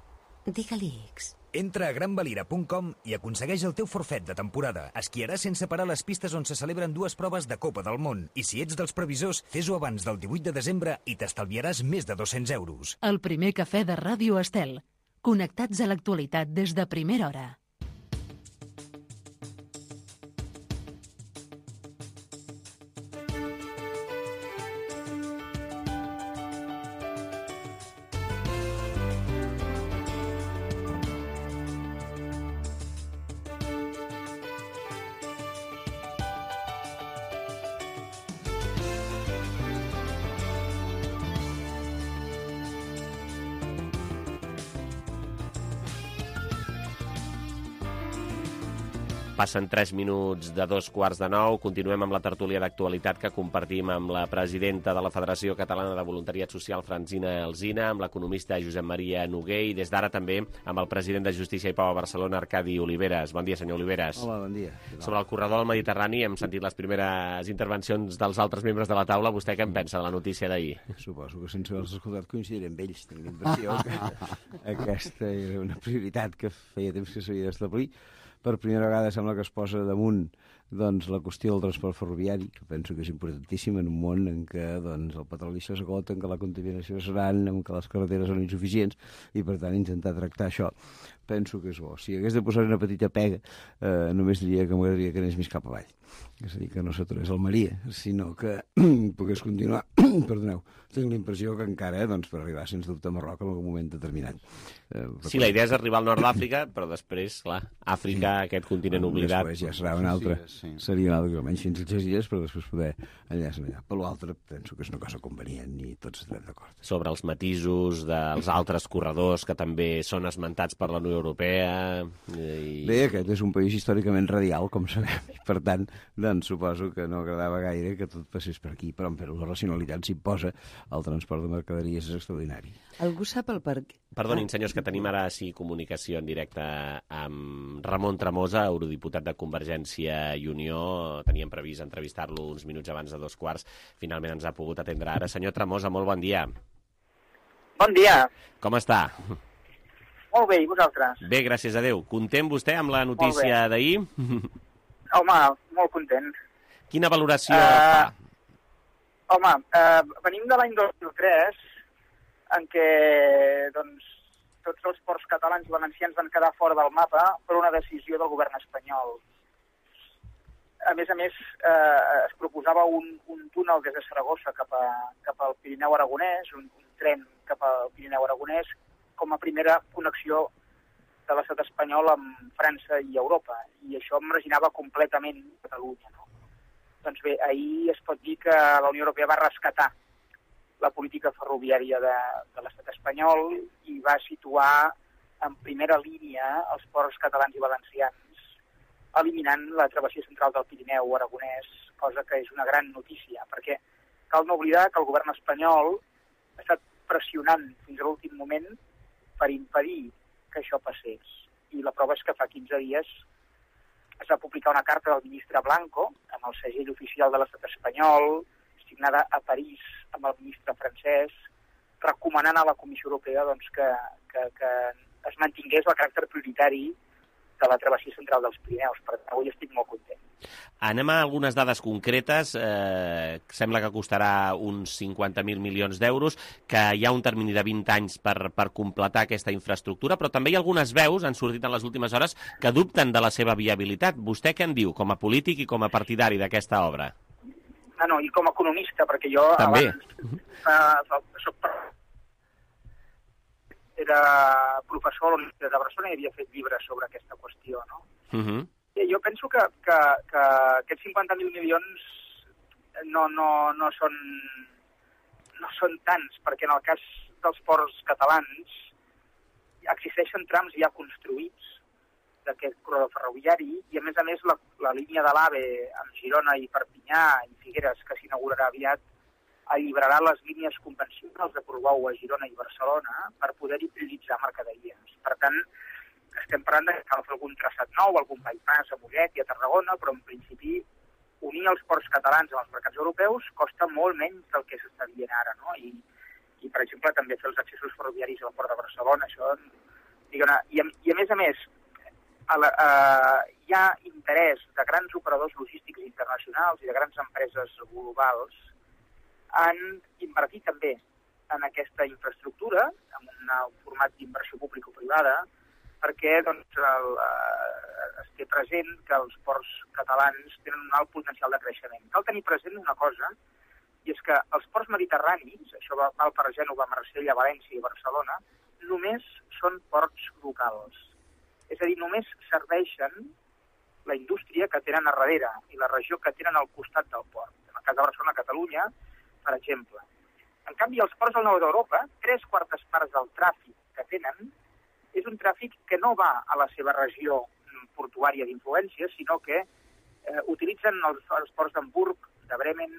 Digue-li X. Entra a gran valira punt com i aconsegueix el teu forfet de temporada. Esquiaràs sense parar les pistes on se celebren dues proves de Copa del Món. I si ets dels previsors, fes-ho abans del divuit de desembre i t'estalviaràs més de dos-cents euros. El primer cafè de Ràdio Estel. Connectats a l'actualitat des de primera hora. Passen tres minuts de dos quarts de nou. Continuem amb la tertúlia d'actualitat que compartim amb la presidenta de la Federació Catalana de Voluntariat Social, Francina Alsina, amb l'economista Josep Maria Noguer i des d'ara també amb el president de Justícia i Pau a Barcelona, Arcadi Oliveres. Bon dia, senyor Oliveres. Hola, bon dia. Sobre el corredor del Mediterrani hem sentit les primeres intervencions dels altres membres de la taula. Vostè què en pensa de la notícia d'ahir? Suposo que sense haver-los escoltat coincidiré amb ells. Tinc l'impressió que aquesta era una prioritat que feia temps que s'havia d'establir. Per primera vegada sembla que es posa damunt doncs, la qüestió del transport ferroviari, que penso que és importantíssim en un món en què doncs, el petroli s'esgota, en què la contaminació és gran, en què les carreteres són insuficients, i per tant intentar tractar això penso que és bo. Si hagués de posar una petita pega, eh, només diria que m'agradaria que anés més cap avall. És a dir, que no s'aturés al Maria, sinó que pogués continuar. Perdoneu, tinc la impressió que encara, doncs, per arribar, sens dubte, a Marroc en algun moment determinat. Eh, sí, la idea és arribar al nord d'Àfrica, però després, clar, Àfrica, sí. Aquest continent oblidat... Després ja serà una altra, sí, sí. Seria una altra, almenys fins als dies, però després poder enllaçar allà. Per l'altre, penso que és una cosa convenient i tots estarem d'acord. Sobre els matisos dels altres corredors que també són esmentats per la Unió Europea... I... Bé, aquest és un país històricament radial, com sabem, i per tant, doncs suposo que no agradava gaire que tot passés per aquí, però, però la racionalitat s'imposa, el transport de mercaderies és extraordinari. Algú sap el per què? Perdonin, senyors, que tenim ara sí comunicació en directe amb Ramon Tremosa, eurodiputat de Convergència i Unió. Teníem previst entrevistar-lo uns minuts abans de dos quarts. Finalment ens ha pogut atendre ara. Senyor Tremosa, molt bon dia. Bon dia. Com està? Molt bé, i vosaltres? Bé, gràcies a Déu. Content vostè amb la notícia d'ahir? Home, molt content. Quina valoració uh, fa? Home, uh, venim de l'any dos mil tres, en què doncs, tots els ports catalans i valencians van quedar fora del mapa per una decisió del govern espanyol. A més a més, eh, es proposava un, un túnel des de Saragossa cap, a, cap al Pirineu Aragonès, un, un tren cap al Pirineu Aragonès, com a primera connexió de l'estat espanyol amb França i Europa. I això marginava completament Catalunya. No? Doncs bé, ahir es pot dir que la Unió Europea va rescatar la política ferroviària de, de l'estat espanyol i va situar en primera línia els ports catalans i valencians, eliminant la travessia central del Pirineu Aragonès, cosa que és una gran notícia, perquè cal no oblidar que el govern espanyol ha estat pressionant fins a l'últim moment per impedir que això passés. I la prova és que fa quinze dies es va publicar una carta del ministre Blanco, amb el segell oficial de l'estat espanyol, signada a París amb el ministre francès, recomanant a la Comissió Europea doncs, que, que, que es mantingués el caràcter prioritari de la travessia central dels Pirineus. Per tant, avui estic molt content. Anem a algunes dades concretes. Eh, sembla que costarà uns cinquanta mil milions d'euros, que hi ha un termini de vint anys per, per completar aquesta infraestructura, però també hi ha algunes veus, han sortit en les últimes hores, que dubten de la seva viabilitat. Vostè què en diu, com a polític i com a partidari d'aquesta obra? Ah, no, i com a economista, perquè jo també. abans uh, soc, era professor a la Universitat de Barcelona i havia fet llibres sobre aquesta qüestió, no? Uh -huh. I jo penso que, que, que aquests cinquanta mil milions no, no, no, són, no són tants, perquè en el cas dels ports catalans existeixen trams ja construïts d'aquest corredor ferroviari i, a més a més, la, la línia de l'AVE amb Girona i Perpinyà i Figueres, que s'inaugurarà aviat, alliberarà les línies convencionals de Portbou a Girona i Barcelona per poder-hi prioritzar mercaderies. Per tant, estem parlant de que cal fer algun traçat nou, algun bypass a Mollet i a Tarragona, però en principi unir els ports catalans amb els mercats europeus costa molt menys del que s'està dient ara, no? I, i per exemple, també fer els accessos ferroviaris al port de Barcelona, això... Diguem, i, a, I a més a més, a la, a, hi ha interès de grans operadors logístics internacionals i de grans empreses globals en invertir també en aquesta infraestructura, en un format d'inversió público-privada, perquè doncs, el, eh, es té present que els ports catalans tenen un alt potencial de creixement. Cal tenir present una cosa, i és que els ports mediterranis, això va, val per Gènova, Marsella, València i Barcelona, només són ports locals. És a dir, només serveixen la indústria que tenen a darrere i la regió que tenen al costat del port. En el cas de Barcelona, Catalunya, per exemple. En canvi, els ports del nord d'Europa, tres quartes parts del tràfic que tenen, és un tràfic que no va a la seva regió portuària d'influència, sinó que eh, utilitzen els, els ports d'Hamburg, de Bremen,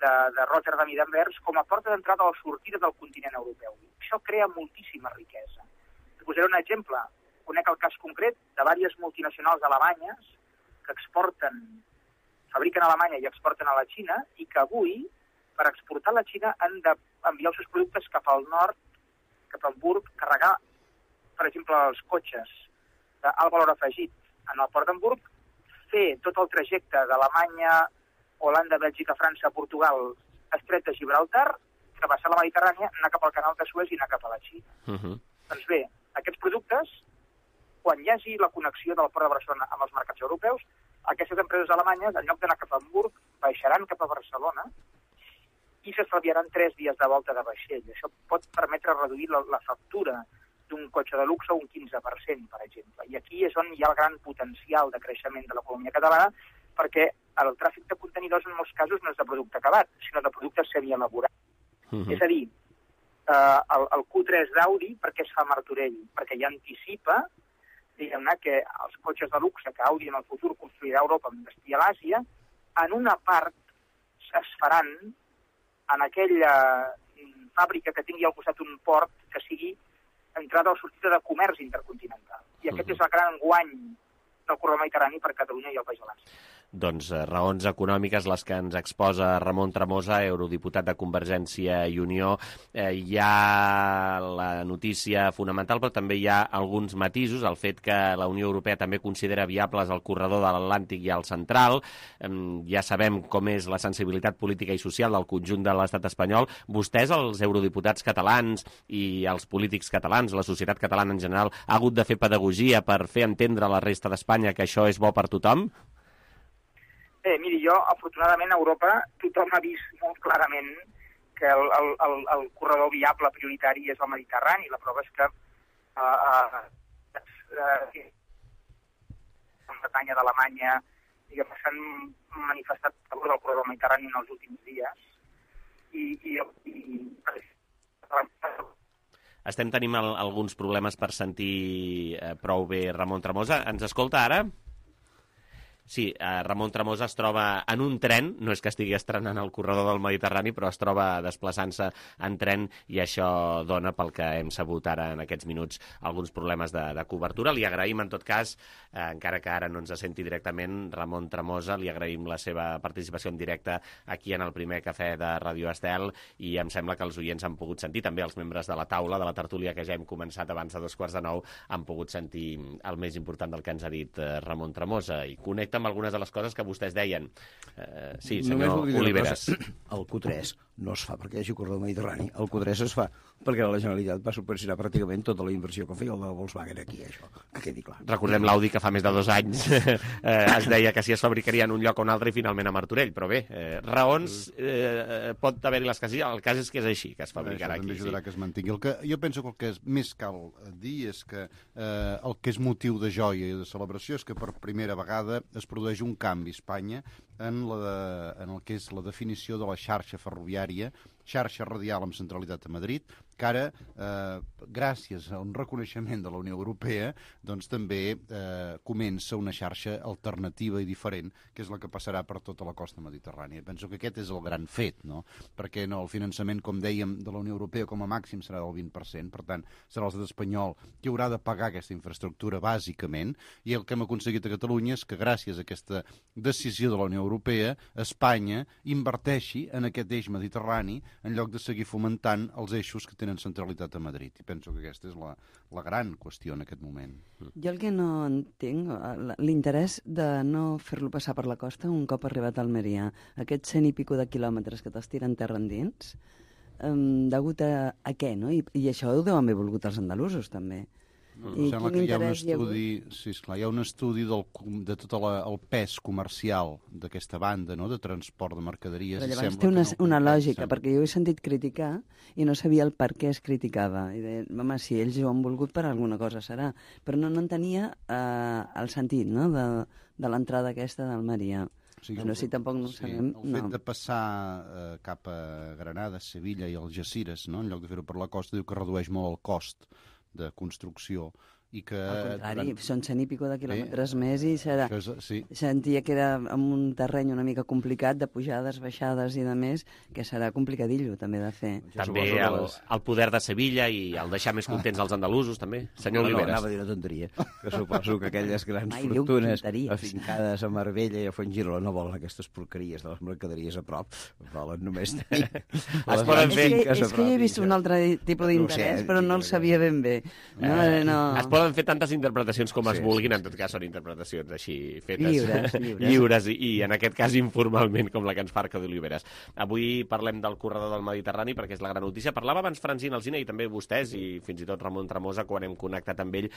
de, de Rotterdam i d'Anvers com a porta d'entrada o sortida del continent europeu. Això crea moltíssima riquesa. Us posaré un exemple. Conec el cas concret de diverses multinacionals alemanyes que exporten, fabriquen a Alemanya i exporten a la Xina i que avui, per exportar a la Xina, han d'enviar els seus productes cap al nord, cap a Hamburg, carregar, per exemple, els cotxes d'alt valor afegit en el port d'Hamburg, fer tot el trajecte d'Alemanya, Holanda, Bèlgica, França, Portugal, Estret de Gibraltar, travessar la Mediterrània, anar cap al canal de Suez i anar cap a la Xina. Uh -huh. Doncs bé, aquests productes, quan hi hagi la connexió del port de Barcelona amb els mercats europeus, aquestes empreses alemanyes, en lloc d'anar cap a Hamburg, baixaran cap a Barcelona i s'estalviaran tres dies de volta de vaixell. Això pot permetre reduir la, la factura d'un cotxe de luxe un quinze per cent, per exemple. I aquí és on hi ha el gran potencial de creixement de l'economia catalana, perquè el tràfic de contenidors en molts casos no és de producte acabat, sinó de productes semielaborats. Uh-huh. És a dir, eh, el, el Q tres d'Audi, per què es fa a Martorell? Perquè ja anticipa, diguem-ne, que els cotxes de luxe que Audi en el futur construirà a Europa amb destí a l'Àsia, en una part es faran en aquella fàbrica que tingui al costat un port que sigui entrada o sortida de comerç intercontinental. I aquest uh-huh. és el gran guany del corredor mediterrani per Catalunya i el País Valencià. Doncs eh, raons econòmiques les que ens exposa Ramon Tremosa, eurodiputat de Convergència i Unió. Eh, hi ha la notícia fonamental, però també hi ha alguns matisos. El fet que la Unió Europea també considera viables el corredor de l'Atlàntic i el central. Eh, ja sabem com és la sensibilitat política i social del conjunt de l'estat espanyol. Vostès, els eurodiputats catalans i els polítics catalans, la societat catalana en general, ha hagut de fer pedagogia per fer entendre a la resta d'Espanya que això és bo per tothom? Bé, miri, jo, afortunadament, a Europa tothom ha vist molt clarament que el, el, el, el corredor viable prioritari és el Mediterrani. La prova és que uh, uh, uh, en Bretanya d'Alemanya s'han manifestat a favor del corredor mediterrani en els últims dies. I, i, i Estem tenint al, alguns problemes per sentir eh, prou bé Ramon Tremosa. Ens escolta ara? Sí, eh, Ramon Tremosa es troba en un tren, no és que estigui estrenant el corredor del Mediterrani, però es troba desplaçant-se en tren i això dona, pel que hem sabut ara en aquests minuts, alguns problemes de, de cobertura. Li agraïm, en tot cas, eh, encara que ara no ens senti directament, Ramon Tremosa, li agraïm la seva participació en directe aquí en el primer cafè de Radio Estel i em sembla que els oients han pogut sentir, també els membres de la taula, de la tertúlia que ja hem començat abans de dos quarts de nou, han pogut sentir el més important del que ens ha dit eh, Ramon Tremosa i connecta amb algunes de les coses que vostès deien. Uh, sí, senyor Oliveres. El Q tres no es fa perquè hi hagi corredor mediterrani. El Q tres es fa perquè la Generalitat va subvencionar pràcticament tota la inversió que feia el de Volkswagen aquí, això, que quedi clar. Recordem l'Audi que fa més de dos anys eh, es deia que si es fabricaria en un lloc o un altre i finalment a Martorell, però bé, eh, raons eh, pot haver-hi les casilles, el cas és que és així, que es fabricarà aquí. També ajudarà sí. que es mantingui. El que, jo penso que el que és més cal dir és que eh, el que és motiu de joia i de celebració és que per primera vegada es produeix un canvi a Espanya en, la de, en el que és la definició de la xarxa ferroviària, xarxa radial amb centralitat a Madrid, que ara, eh, gràcies a un reconeixement de la Unió Europea, doncs també eh, comença una xarxa alternativa i diferent, que és la que passarà per tota la costa mediterrània. Penso que aquest és el gran fet, no? Perquè no, el finançament, com dèiem, de la Unió Europea com a màxim serà del vint per cent, per tant, serà l'estat espanyol qui haurà de pagar aquesta infraestructura, bàsicament, i el que hem aconseguit a Catalunya és que gràcies a aquesta decisió de la Unió Europea, Espanya inverteixi en aquest eix mediterrani en lloc de seguir fomentant els eixos que tenen centralitat a Madrid. I penso que aquesta és la, la gran qüestió en aquest moment. Jo el que no entenc, l'interès de no fer-lo passar per la costa un cop arribat a Almeria, aquests cent i pico de quilòmetres que t'estiren terra endins, um, degut a, a què, no? I, I això ho deuen haver volgut els andalusos, també. Mm. I sembla que hi ha un estudi, sí, esclar, hi ha un estudi del, de tot la, el pes comercial d'aquesta banda, no?, de transport de mercaderies. Però llavors té una, no una lògica, sembla. Perquè jo he sentit criticar i no sabia el per què es criticava. I deia, home, si ells ho han volgut per alguna cosa serà. Però no, no entenia eh, el sentit, no?, de, de l'entrada aquesta d'Almeria. O sigui, no, si tampoc no sí, sabem... El fet no. de passar eh, cap a Granada, Sevilla i Algeciras, no?, en lloc de fer-ho per la costa, diu que redueix molt el cost de construcció i que... Al contrari, durant... són cent i pico de quilòmetres sí, més i serà... És, sí. Sentia que era en un terreny una mica complicat, de pujades, baixades i de més, que serà complicadillo també de fer. També el, el poder de Sevilla i el deixar més contents els andalusos, també. Senyor no, Oliveres. No, anava a dir una tonteria, que suposo que aquelles grans Ai, fortunes afincades a Marbella i a Fuengirola no volen aquestes porqueries de les mercaderies a prop, volen només... es poden fer... És que, és que jo he vist un altre tipus d'interès, no sé, però no el sabia ben bé. No, eh, no. Es poden poden fer tantes interpretacions com es Sí, vulguin, sí, en tot cas són interpretacions així fetes. Lliures, lliures. lliures i, i en aquest cas informalment, com la que ens fa Arcadi Oliveres. Avui parlem del corredor del Mediterrani perquè és la gran notícia. Parlava abans Francina Alsina i també vostès i fins i tot Ramon Tremosa quan hem connectat amb ell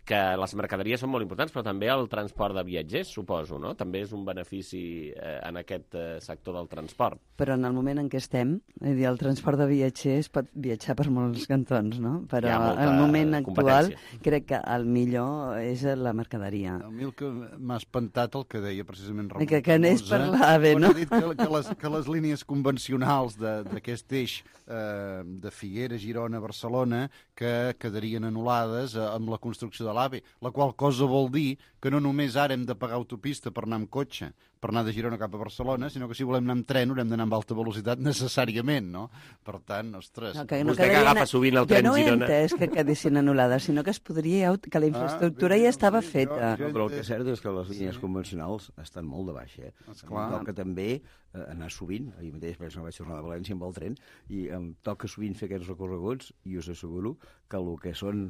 que les mercaderies són molt importants, però també el transport de viatgers, suposo, no? També és un benefici eh, en aquest eh, sector del transport. Però en el moment en què estem, és dir, el transport de viatgers pot viatjar per molts cantons, no? Però el moment actual crec que el millor és la mercaderia. A mi el que m'ha espantat el que deia precisament Ramon Que, que anés per l'AVE, no? Ha dit que, que, les, que les línies convencionals d'aquest eix eh, de Figueres, Girona, Barcelona, que quedarien anul·lades eh, amb la construcció de l'AVE, la qual cosa vol dir que no només ara hem de pagar autopista per anar amb cotxe, per anar de Girona cap a Barcelona, sinó que si volem anar amb tren haurem d'anar amb alta velocitat necessàriament, no? Per tant, ostres... No, que no Vostè que agafa sovint el tren Girona... Jo no he Girona... entès que quedessin anul·lades, sinó que es podria... que la infraestructura ah, bé, ja estava sí, feta. Jo, jo, però el que és cert és que les línies sí. convencionals estan molt de baixa. Eh? Em toca també eh, anar sovint, ahir mateix penso que vaig tornar de València amb el tren, i em toca sovint fer aquests recorreguts, i us asseguro que el que són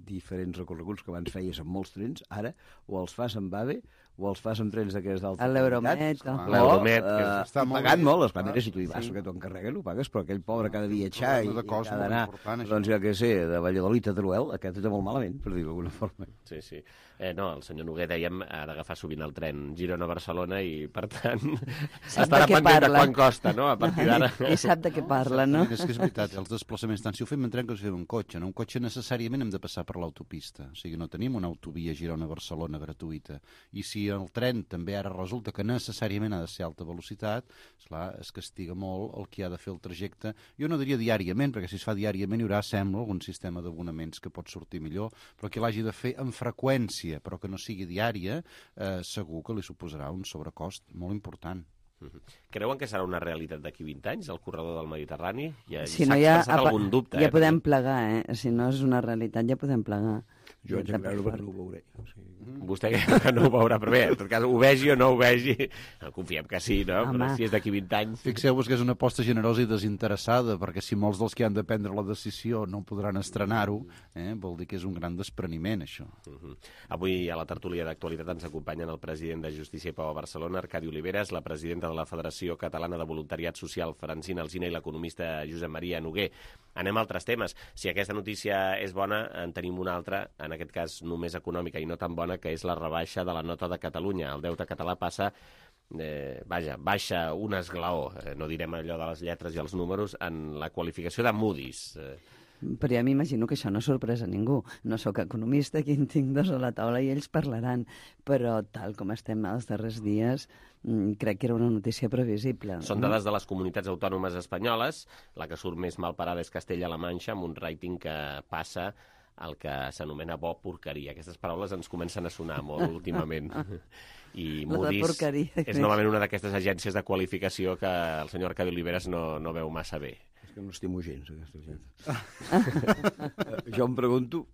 diferents recorreguts que abans feies amb molts trens, ara o els fas amb AVE o els fas amb trens d'aquests d'alta L'Euromet. L'Euromet, que uh, està pagant molt, esclar, mira, si tu hi vas, sí. que t'ho encarreguen, ho pagues, però aquell pobre que ha de viatjar i, i que ha d'anar, doncs ja que sé, de Valladolid a Teruel, aquest està molt malament, per dir-ho d'alguna forma. Sí, sí. Eh, no, el senyor Noguer, dèiem, ha d'agafar sovint el tren Girona-Barcelona i, per tant, estarà pendent de quant costa, no?, a partir d'ara. I sap de què parla, no? És que és veritat, els desplaçaments, tant si ho fem en tren que si ho fem en cotxe, no? Un cotxe necessàriament hem de passar per l'autopista, o sigui, no tenim una autovia Girona-Barcelona gratuïta, i si el tren també ara resulta que necessàriament ha de ser alta velocitat, esclar, es castiga molt el qui ha de fer el trajecte. Jo no diria diàriament, perquè si es fa diàriament hi haurà, sembla, algun sistema d'abonaments que pot sortir millor, però qui l'hagi de fer amb freqüència, però que no sigui diària, eh, segur que li suposarà un sobrecost molt important. Creuen que serà una realitat d'aquí vint anys, el corredor del Mediterrani? Ja, si no, ja, algun dubte, ja eh? podem plegar, eh? Si no és una realitat, ja podem plegar. Jo haig de creure que no ho veuré. O sigui... Vostè que no ho veurà, però bé, en tot cas, ho vegi o no ho vegi, confiem que sí, no? Home. Però si és d'aquí vint anys... Fixeu-vos que és una aposta generosa i desinteressada, perquè si molts dels que han de prendre la decisió no podran estrenar-ho, eh, vol dir que és un gran despreniment, això. Uh -huh. Avui a la tertúlia d'actualitat ens acompanyen el president de Justícia i Pau a Barcelona, Arcadi Oliveres, la presidenta de la Federació Catalana de Voluntariat Social, Francina Alsina, i l'economista Josep Maria Noguer. Anem a altres temes. Si aquesta notícia és bona, en tenim una altra, en aquest cas només econòmica i no tan bona, que és la rebaixa de la nota de Catalunya. El deute català passa, eh, vaja, baixa un esglaó, eh, no direm allò de les lletres i els números, en la qualificació de Moody's. Eh. Però ja m'imagino que això no sorpresa a ningú. No sóc economista, aquí en tinc dos a la taula i ells parlaran. Però tal com estem els darrers dies, crec que era una notícia previsible. Són dades de les comunitats autònomes espanyoles. La que surt més mal parada és Castella-La Manxa, amb un rating que passa el que s'anomena bo porqueria. Aquestes paraules ens comencen a sonar molt últimament. I Moody's és novament una d'aquestes agències de qualificació que el senyor Arcadi Oliveres no, no veu massa bé. És que no estimo gens, aquesta gent. Jo em pregunto,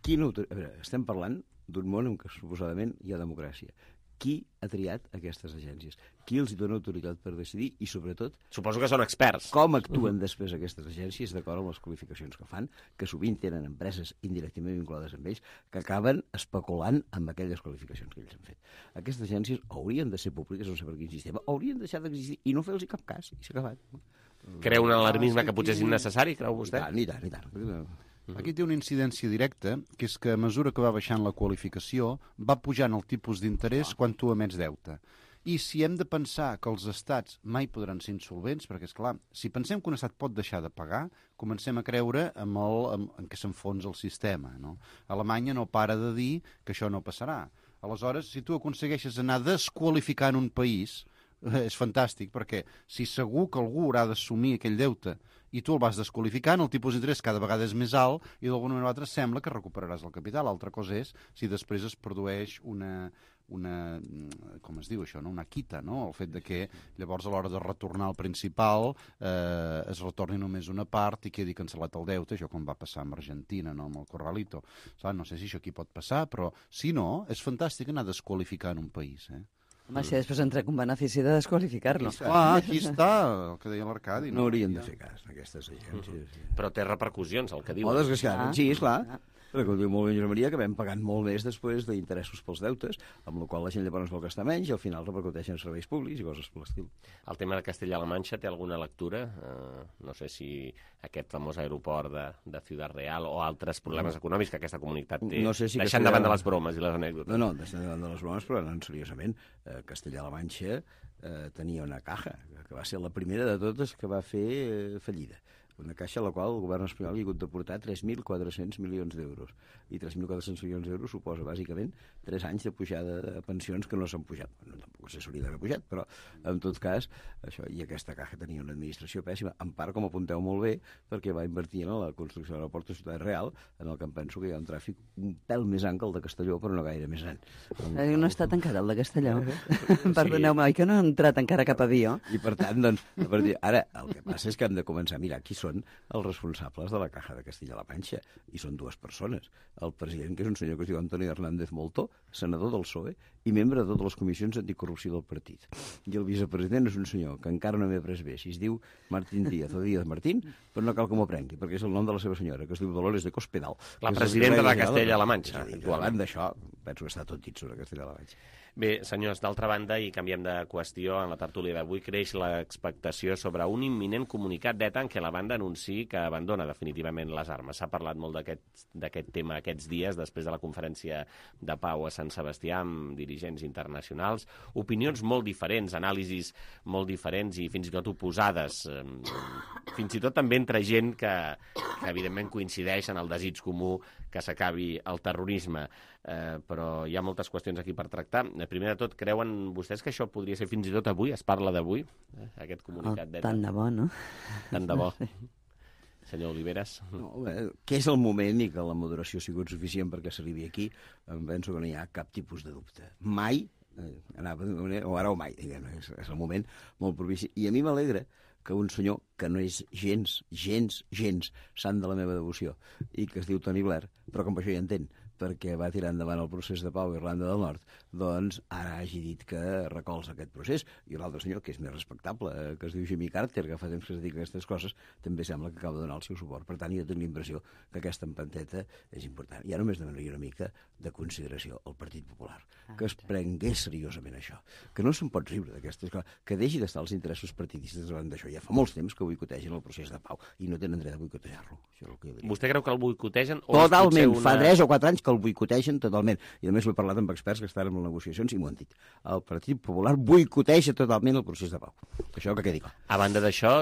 quin... A veure, estem parlant d'un món en què suposadament hi ha democràcia. Qui ha triat aquestes agències? Qui els dona autoritat per decidir? I, sobretot... Suposo que són experts. Com actuen després aquestes agències d'acord amb les qualificacions que fan, que sovint tenen empreses indirectament vinculades amb ells, que acaben especulant amb aquelles qualificacions que ells han fet. Aquestes agències haurien de ser públiques, no sé per quin sistema, haurien deixat d'existir i no fer-los cap cas, i s'ha acabat. Creu un alarmisme que potser és innecessari, creu vostè? I tant, i tant, i tant. Aquí té una incidència directa, que és que a mesura que va baixant la qualificació, va pujant el tipus d'interès quan tu emets deute. I si hem de pensar que els estats mai podran ser insolvents, perquè, és clar, si pensem que un estat pot deixar de pagar, comencem a creure en, el, en, en què s'enfonsa el sistema, no? Alemanya no para de dir que això no passarà. Aleshores, si tu aconsegueixes anar desqualificant un país, és fantàstic, perquè si segur que algú haurà d'assumir aquell deute i tu el vas desqualificant, el tipus d'interès cada vegada és més alt i d'alguna manera o altra sembla que recuperaràs el capital. L'altra cosa és si després es produeix una, una com es diu això, no? Una quita, no? El fet de que llavors a l'hora de retornar al principal eh, es retorni només una part i quedi cancel·lat el deute, això com va passar amb Argentina, no? Amb el Corralito. No sé si això aquí pot passar, però si no, és fantàstic anar desqualificant un país, eh? Home, si després en trec un benefici de desqualificar-lo. Ah, aquí està, el que deia l'Arcadi. No haurien de fer cas, aquestes agències. Però té repercussions, el que diu. Oh, desgraciadament, sí, esclar. Com diu molt bé Josep Maria, que vam pagant molt més després d'interessos pels deutes, amb la qual la gent llavors vol gastar menys i al final repercuteixen serveis públics i coses per l'estil. El tema de Castella-La Manxa té alguna lectura? Uh, no sé si aquest famós aeroport de, de Ciudad Real o altres problemes no. econòmics que aquesta comunitat té, no sé si deixant davant de les bromes i les anècdotes. No, no, deixant davant de les bromes, però anant seriosament. Uh, Castella-La Manxa uh, tenia una caja, que va ser la primera de totes que va fer uh, fallida. Una caixa a la qual el govern espanyol hi ha hagut de portar tres mil quatre-cents milions d'euros. I tres mil quatre-cents milions d'euros suposa, bàsicament, tres anys de pujada de pensions que no s'han pujat. No, tampoc se s'hauria d'haver pujat, però, en tot cas, això, i aquesta caixa tenia una administració pèssima, en part, com apunteu molt bé, perquè va invertir en la construcció de l'aeroport de Ciutat Real, en el que em penso que hi ha un tràfic un pèl més gran que el de Castelló, però no gaire més gran. El... No està tancat, el de Castelló. Perdoneu-me, oi que no ha entrat encara cap avió? I, per tant, doncs, a partir... ara, el que passa és que hem de començar a mirar qui són els responsables de la Caja de Castilla-La Manxa, i són dues persones. El president, que és un senyor que es diu Antoni Hernández Moltó, senador del P S O E i membre de totes les comissions anticorrupció del partit. I el vicepresident és un senyor que encara no m'he pres bé, si es diu Martín Díaz o Díaz Martín, però no cal que m'ho prengui, perquè és el nom de la seva senyora, que es diu Dolores de Cospedal. La presidenta de Castella-La Manxa. Actualment d'això, penso que està tot dit sobre Castella-La Manxa. Bé, senyors, d'altra banda, i canviem de qüestió, en la tertúlia d'avui creix l'expectació sobre un imminent comunicat d'ETA en què la banda anunciï que abandona definitivament les armes. S'ha parlat molt d'aquest tema aquests dies, després de la conferència de pau a Sant Sebastià amb dirigents internacionals. Opinions molt diferents, anàlisis molt diferents i fins i tot oposades. Fins i tot també entre gent que, que evidentment coincideix en el desig comú que s'acabi el terrorisme. Eh, però hi ha moltes qüestions aquí per tractar. Primer de tot, creuen vostès que això podria ser fins i tot avui? Es parla d'avui, eh, aquest comunicat d'ETA? Tant de bo, no? Tant de bo. Senyor Oliveras. No, bé, que és el moment i que la moderació ha sigut suficient perquè s'arribi aquí, em penso que no hi ha cap tipus de dubte. Mai, eh, anava, o ara o mai, diguem, és, és el moment molt propici. I a mi m'alegra que un senyor que no és gens, gens, gens sant de la meva devoció i que es diu Tony Blair, però com això ja entén, perquè va tirar endavant el procés de pau a Irlanda del Nord, doncs ara hagi dit que recolza aquest procés. I l'altre senyor, que és més respectable, que es diu Jimmy Carter, que fa temps que es dedica a aquestes coses, també sembla que acaba de donar el seu suport. Per tant, jo tinc la impressió que aquesta empanteta és important. I ara només demanaria una mica de consideració al Partit Popular, que es prengués seriosament això, que no se'n pot riure d'aquestes coses, que deixi d'estar els interessos partidistes davant d'això. Ja fa molts temps que boicotegen el procés de pau i no tenen dret a boicotejar-lo. Vostè creu que el boicotegen? Totalment, una... fa tres o quatre anys que el boicotegen totalment. I a més ho he parlat amb experts que estan en les negociacions i m'ho han dit. El Partit Popular boicoteja totalment el procés de pau. Això que quedi clar. A banda d'això,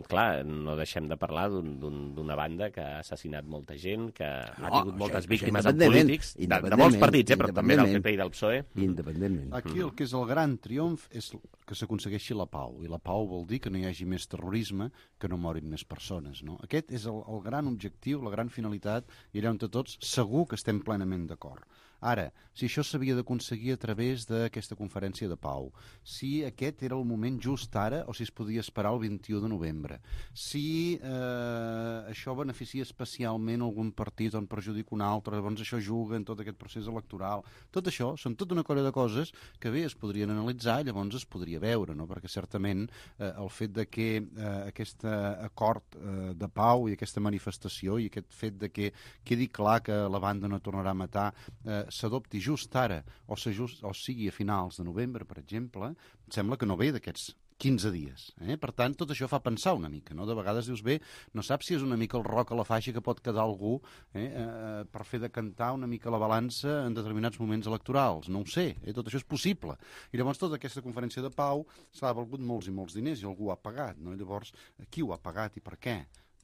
clar, no deixem de parlar d'una banda que ha assassinat molta gent, que no, ha tingut moltes això, víctimes en polítics, de, de molts partits, eh, però també del P P i del P S O E. Independentment. Aquí el que és el gran triomf és que s'aconsegueixi la pau, i la pau vol dir que no hi hagi més terrorisme, que no morin més persones, no? Aquest és el, el gran objectiu, la gran finalitat, i allà on tots segur que estem plenament d'acord. Ara, si això s'havia d'aconseguir a través d'aquesta conferència de pau, si aquest era el moment just ara o si es podia esperar el vint-i-u de novembre, si eh, això beneficia especialment algun partit o en perjudica un altre, llavors això juga en tot aquest procés electoral. Tot això són tota una colla de coses que bé es podrien analitzar i llavors es podria veure, no? Perquè certament eh, el fet de que eh, aquest acord eh, de pau i aquesta manifestació i aquest fet de que quedi clar que la banda no tornarà a matar eh, s'adopti just ara o, just, o sigui a finals de novembre, per exemple, sembla que no ve d'aquests quinze dies. Eh? Per tant, tot això fa pensar una mica, no? De vegades dius, bé, no saps si és una mica el roc a la faixa que pot quedar algú eh, eh, per fer decantar una mica la balança en determinats moments electorals. No ho sé, eh? Tot això és possible. I llavors tota aquesta conferència de pau s'ha valgut molts i molts diners i algú ho ha pagat, no? I llavors, qui ho ha pagat i per què?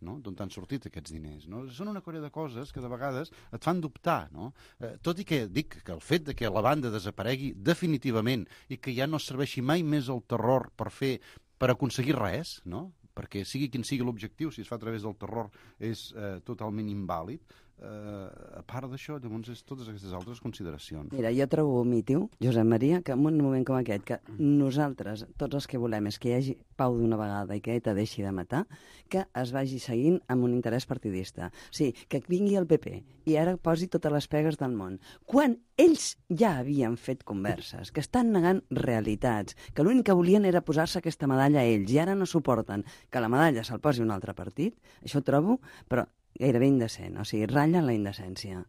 No? D'on t'han sortit aquests diners, no? Són una colla de coses que de vegades et fan dubtar, no? Eh, tot i que dic que el fet de que la banda desaparegui definitivament i que ja no serveixi mai més el terror per fer, per aconseguir res, no? Perquè sigui quin sigui l'objectiu, si es fa a través del terror és eh, totalment invàlid, Uh, a part d'això, llavors, és totes aquestes altres consideracions. Mira, jo trobo vomitiu, Josep Maria, que en un moment com aquest, que nosaltres, tots els que volem és que hi hagi pau d'una vegada i que ETA deixi de matar, que es vagi seguint amb un interès partidista. O sigui, que vingui el P P i ara posi totes les pegues del món. Quan ells ja havien fet converses, que estan negant realitats, que l'únic que volien era posar-se aquesta medalla a ells i ara no suporten que la medalla se'l posi un altre partit, això ho trobo, però gairebé indecent, o sigui, ratlla en la indecència.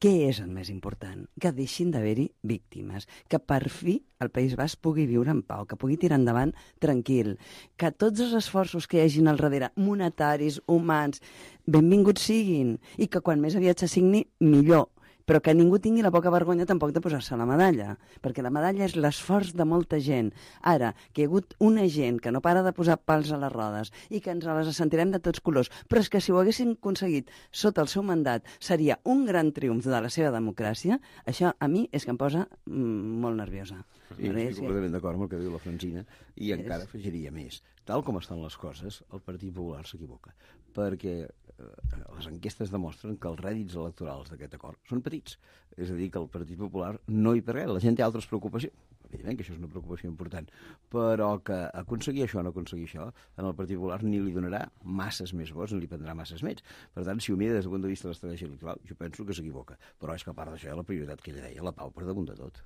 què és el més important? Que deixin d'haver-hi víctimes, que per fi el País Basc pugui viure en pau, que pugui tirar endavant tranquil, que tots els esforços que hi hagin al darrere, monetaris, humans, benvinguts siguin, i que quan més aviat se signi, millor. Però que ningú tingui la poca vergonya tampoc de posar-se la medalla, perquè la medalla és l'esforç de molta gent. Ara, que hi ha hagut una gent que no para de posar pals a les rodes i que ens les sentirem de tots colors, però és que si ho haguessin aconseguit sota el seu mandat seria un gran triomf de la seva democràcia, això a mi és que em posa mm, molt nerviosa. Sí, estic completament d'acord amb el que diu la Francina i encara afegiria més. Tal com estan les coses, el Partit Popular s'equivoca, perquè les enquestes demostren que els rèdits electorals d'aquest acord són petits. És a dir, que el Partit Popular no hi perd res. La gent té altres preocupacions. Evidentment que això és una preocupació important, però que aconseguir això o no aconseguir això, en el Partit Popular ni li donarà masses més vots, ni li prendrà masses més. Per tant, si ho mira des del punt de vista de l'estratègia electoral, jo penso que s'equivoca. Però és que a part d'això, la prioritat que ella deia, la pau per damunt de tot.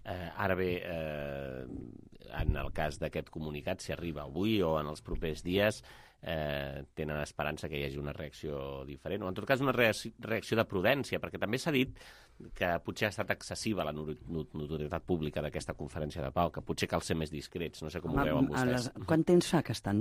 Eh, ara bé, eh, en el cas d'aquest comunicat, si arriba avui o en els propers dies, eh, tenen esperança que hi hagi una reacció diferent, o en tot cas una reacció de prudència, perquè també s'ha dit que potser ha estat excessiva la notorietat pública d'aquesta conferència de pau, que potser cal ser més discrets, no sé com ho veuen vostès. Les, quant temps fa que, estan,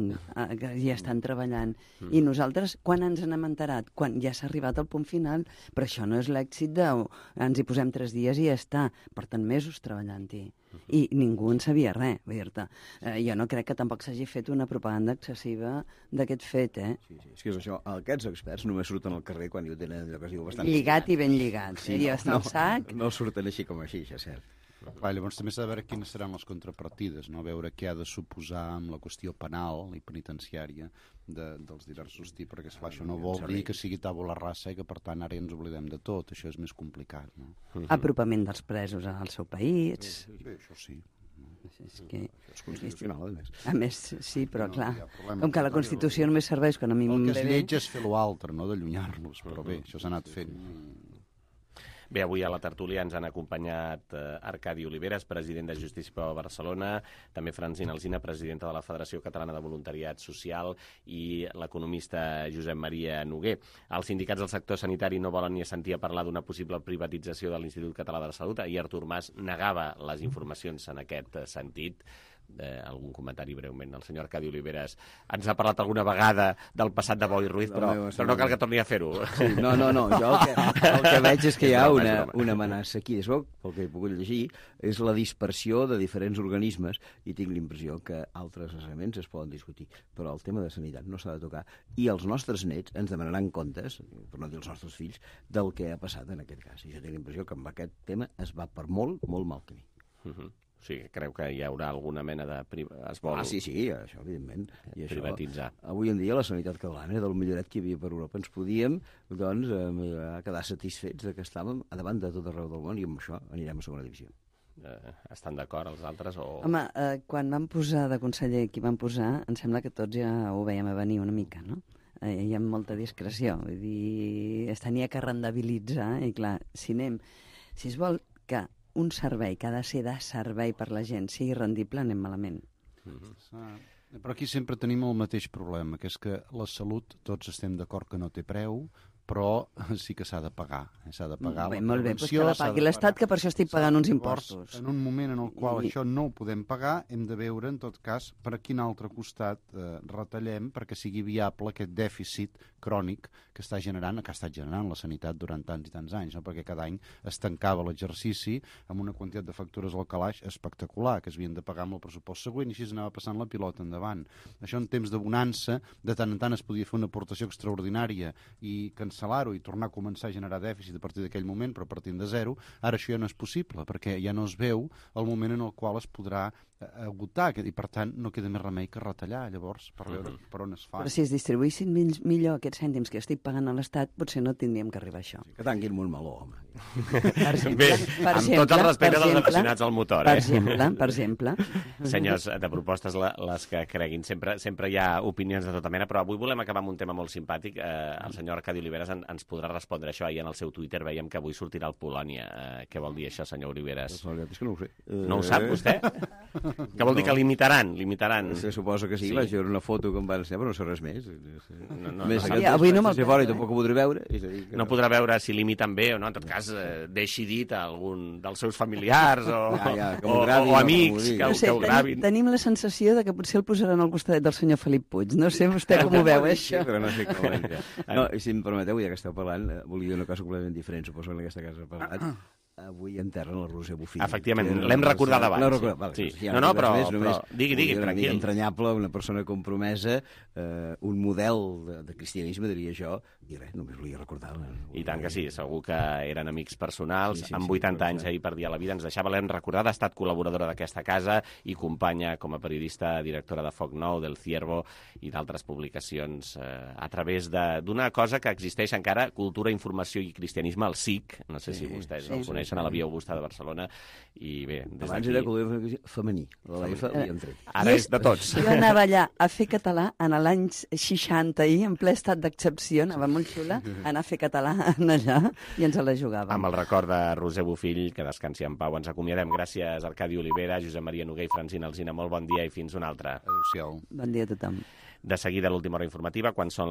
que ja estan treballant? Mm. I nosaltres, quan ens n'hem enterat? Quan ja s'ha arribat al punt final, però això no és l'èxit de... Ens hi posem tres dies i ja està. Porten mesos treballant-hi. I ningú en sabia res, vull dir-te. Eh, jo no crec que tampoc s'hagi fet una propaganda excessiva d'aquest fet, eh? Sí, sí, és que és això. Aquests experts només surten al carrer quan hi tenen allò que es diu bastant... Lligat i ben lligat. Sí, I no, està al sac. No, no surten així com així, això és cert. Clar, llavors també s'ha de veure quines seran les contrapartides, no? Veure què ha de suposar amb la qüestió penal i penitenciària de, dels diversos tipus, perquè esclar, això no vol dir que sigui tabula rasa i que per tant ara ja ens oblidem de tot, això és més complicat, no? Apropament dels presos al seu país. Sí, sí, això sí. És que... És constitucional, a més. A més, sí, però no, clar, problema, com que la Constitució només serveix quan a mi el que m'he es lleig és fer l'altre, no d'allunyar-los, però bé, això s'ha anat fent. Bé, avui a la tertúlia ens han acompanyat eh, Arcadi Oliveres, president de Justícia per Barcelona, també Francina Alsina, presidenta de la Federació Catalana de Voluntariat Social, i l'economista Josep Maria Noguer. Els sindicats del sector sanitari no volen ni sentir a parlar d'una possible privatització de l'Institut Català de la Salut. Ahir Artur Mas negava les informacions en aquest sentit. Eh, algun comentari breument. El senyor Arcadi Oliveres ens ha parlat alguna vegada del passat de Boi Ruiz, però, no, però no cal que torni a fer-ho. Sí, no, no, no. Jo el que, el que veig és que hi ha una, una amenaça aquí. És bo, pel que he pogut llegir, és la dispersió de diferents organismes i tinc l'impressió que altres elements es poden discutir. Però el tema de sanitat no s'ha de tocar. I els nostres nets ens demanaran comptes, per no dir els nostres fills, del que ha passat en aquest cas. I jo tinc l'impressió que amb aquest tema es va per molt, molt mal camí. Uh -huh. Sí, creu que hi haurà alguna mena de... Es vol... Ah, sí, sí, això, evidentment. I privatitzar. Això, avui en dia la sanitat catalana, del milloret que hi havia per Europa, ens podíem doncs, eh, quedar satisfets de que estàvem a davant de tot arreu del món i amb això anirem a segona divisió. Eh, estan d'acord els altres? O... Home, eh, quan van posar de conseller qui van posar, em sembla que tots ja ho veiem a venir una mica, no? Eh, hi ha molta discreció, vull dir, es tenia que rendibilitzar i clar, si anem... Si es vol que un servei que ha de ser de servei per la gent sigui rendible, anem malament. Mm-hmm. Però aquí sempre tenim el mateix problema, que és que la salut, tots estem d'acord que no té preu, però sí que s'ha de pagar. S'ha de pagar bé, la molt bé, prevenció. Doncs que la pagui l'Estat, que per això estic pagant uns impostos. En un moment en el qual I... això no ho podem pagar, hem de veure, en tot cas, per a quin altre costat eh, retallem perquè sigui viable aquest dèficit crònic que està generant, que ha estat generant la sanitat durant tants i tants anys, no? Perquè cada any es tancava l'exercici amb una quantitat de factures al calaix espectacular, que es havien de pagar amb el pressupost següent, i així anava passant la pilota endavant. Això en temps de bonança, de tant en tant es podia fer una aportació extraordinària i cancel·lar-ho i tornar a començar a generar dèficit a partir d'aquell moment, però partint de zero. Ara això ja no és possible, perquè ja no es veu el moment en el qual es podrà agotar, i per tant no queda més remei que retallar, llavors, per veure uh-huh. per on es fa. Però si es distribuïssin millor aquests cèntims que estic pagant a l'Estat, potser no tindríem que arribar a això. Sí, que tanquin un meló, home. Per exemple, Bé, per amb exemple, tot el respecte dels aficionats al motor, per eh? exemple, per exemple. Senyors, de propostes les que creguin, sempre, sempre hi ha opinions de tota mena, però avui volem acabar amb un tema molt simpàtic. Eh, el senyor Arcadi Oliveres Oliveres en, ens podrà respondre això. Ahir en el seu Twitter veiem que avui sortirà el Polònia. Eh, què vol dir això, senyor Oliveres? La veritat és que no ho sé. No ho sap, vostè? Què vol dir que limitaran? Limitaran? Se suposa que sí, sí. Vaig veure una foto que em van ensenyar, però no sé res més. No, no, més no, sí, avui no me'l sé fora i tampoc ho podré veure. És a dir, que no podrà veure si limiten bé o no. En tot cas, eh, deixi dit a algun dels seus familiars o, ja, ja, o, gravin, o, o amics que, no sé, que ho gravin. Tenim, tenim la sensació de que potser el posaran al costat del senyor Felip Puig. No sé vostè com ho veu, això. Sí, però no sé com ho veu. No, i si em permeteu, ja que esteu parlant, volia dir una cosa completament diferent. Suposo que en aquesta casa ha parlat. Avui enterren la Roser Bofill. Efectivament, l'hem recordat abans. No, recordat, vale, sí. si no, no, però, més, però digui, digui, una tranquil. Una entranyable, una persona compromesa, eh, un model de, de cristianisme, diria jo, i res, només volia recordar. I tant que sí, segur que eren amics personals. Sí, sí, amb sí, vuitanta sí, anys ahir perdia la vida, ens deixava, l'hem recordat, ha estat col·laboradora d'aquesta casa i companya com a periodista, directora de Foc Nou, del Ciervo i d'altres publicacions eh, a través d'una cosa que existeix encara, Cultura, Informació i Cristianisme, el S I C, no sé sí, si vostès sí, el coneixen, sí, a la Via Augusta de Barcelona, i bé, des abans d'aquí... era Cultura femení, la F li han tret. Ara és de tots. Jo anava allà a fer català en l'any seixanta i en ple estat d'excepció, anava molt xula, anar a fer català allà i ens la jugàvem. Amb el record de Roser Bofill, que descansi en pau. Ens acomiadem. Gràcies, Arcadi Olivera, Josep Maria Noguer i Francina Alsina. Molt bon dia i fins una altra. Adéu-siau. Bon dia a tothom. De seguida, l'última hora informativa, quan són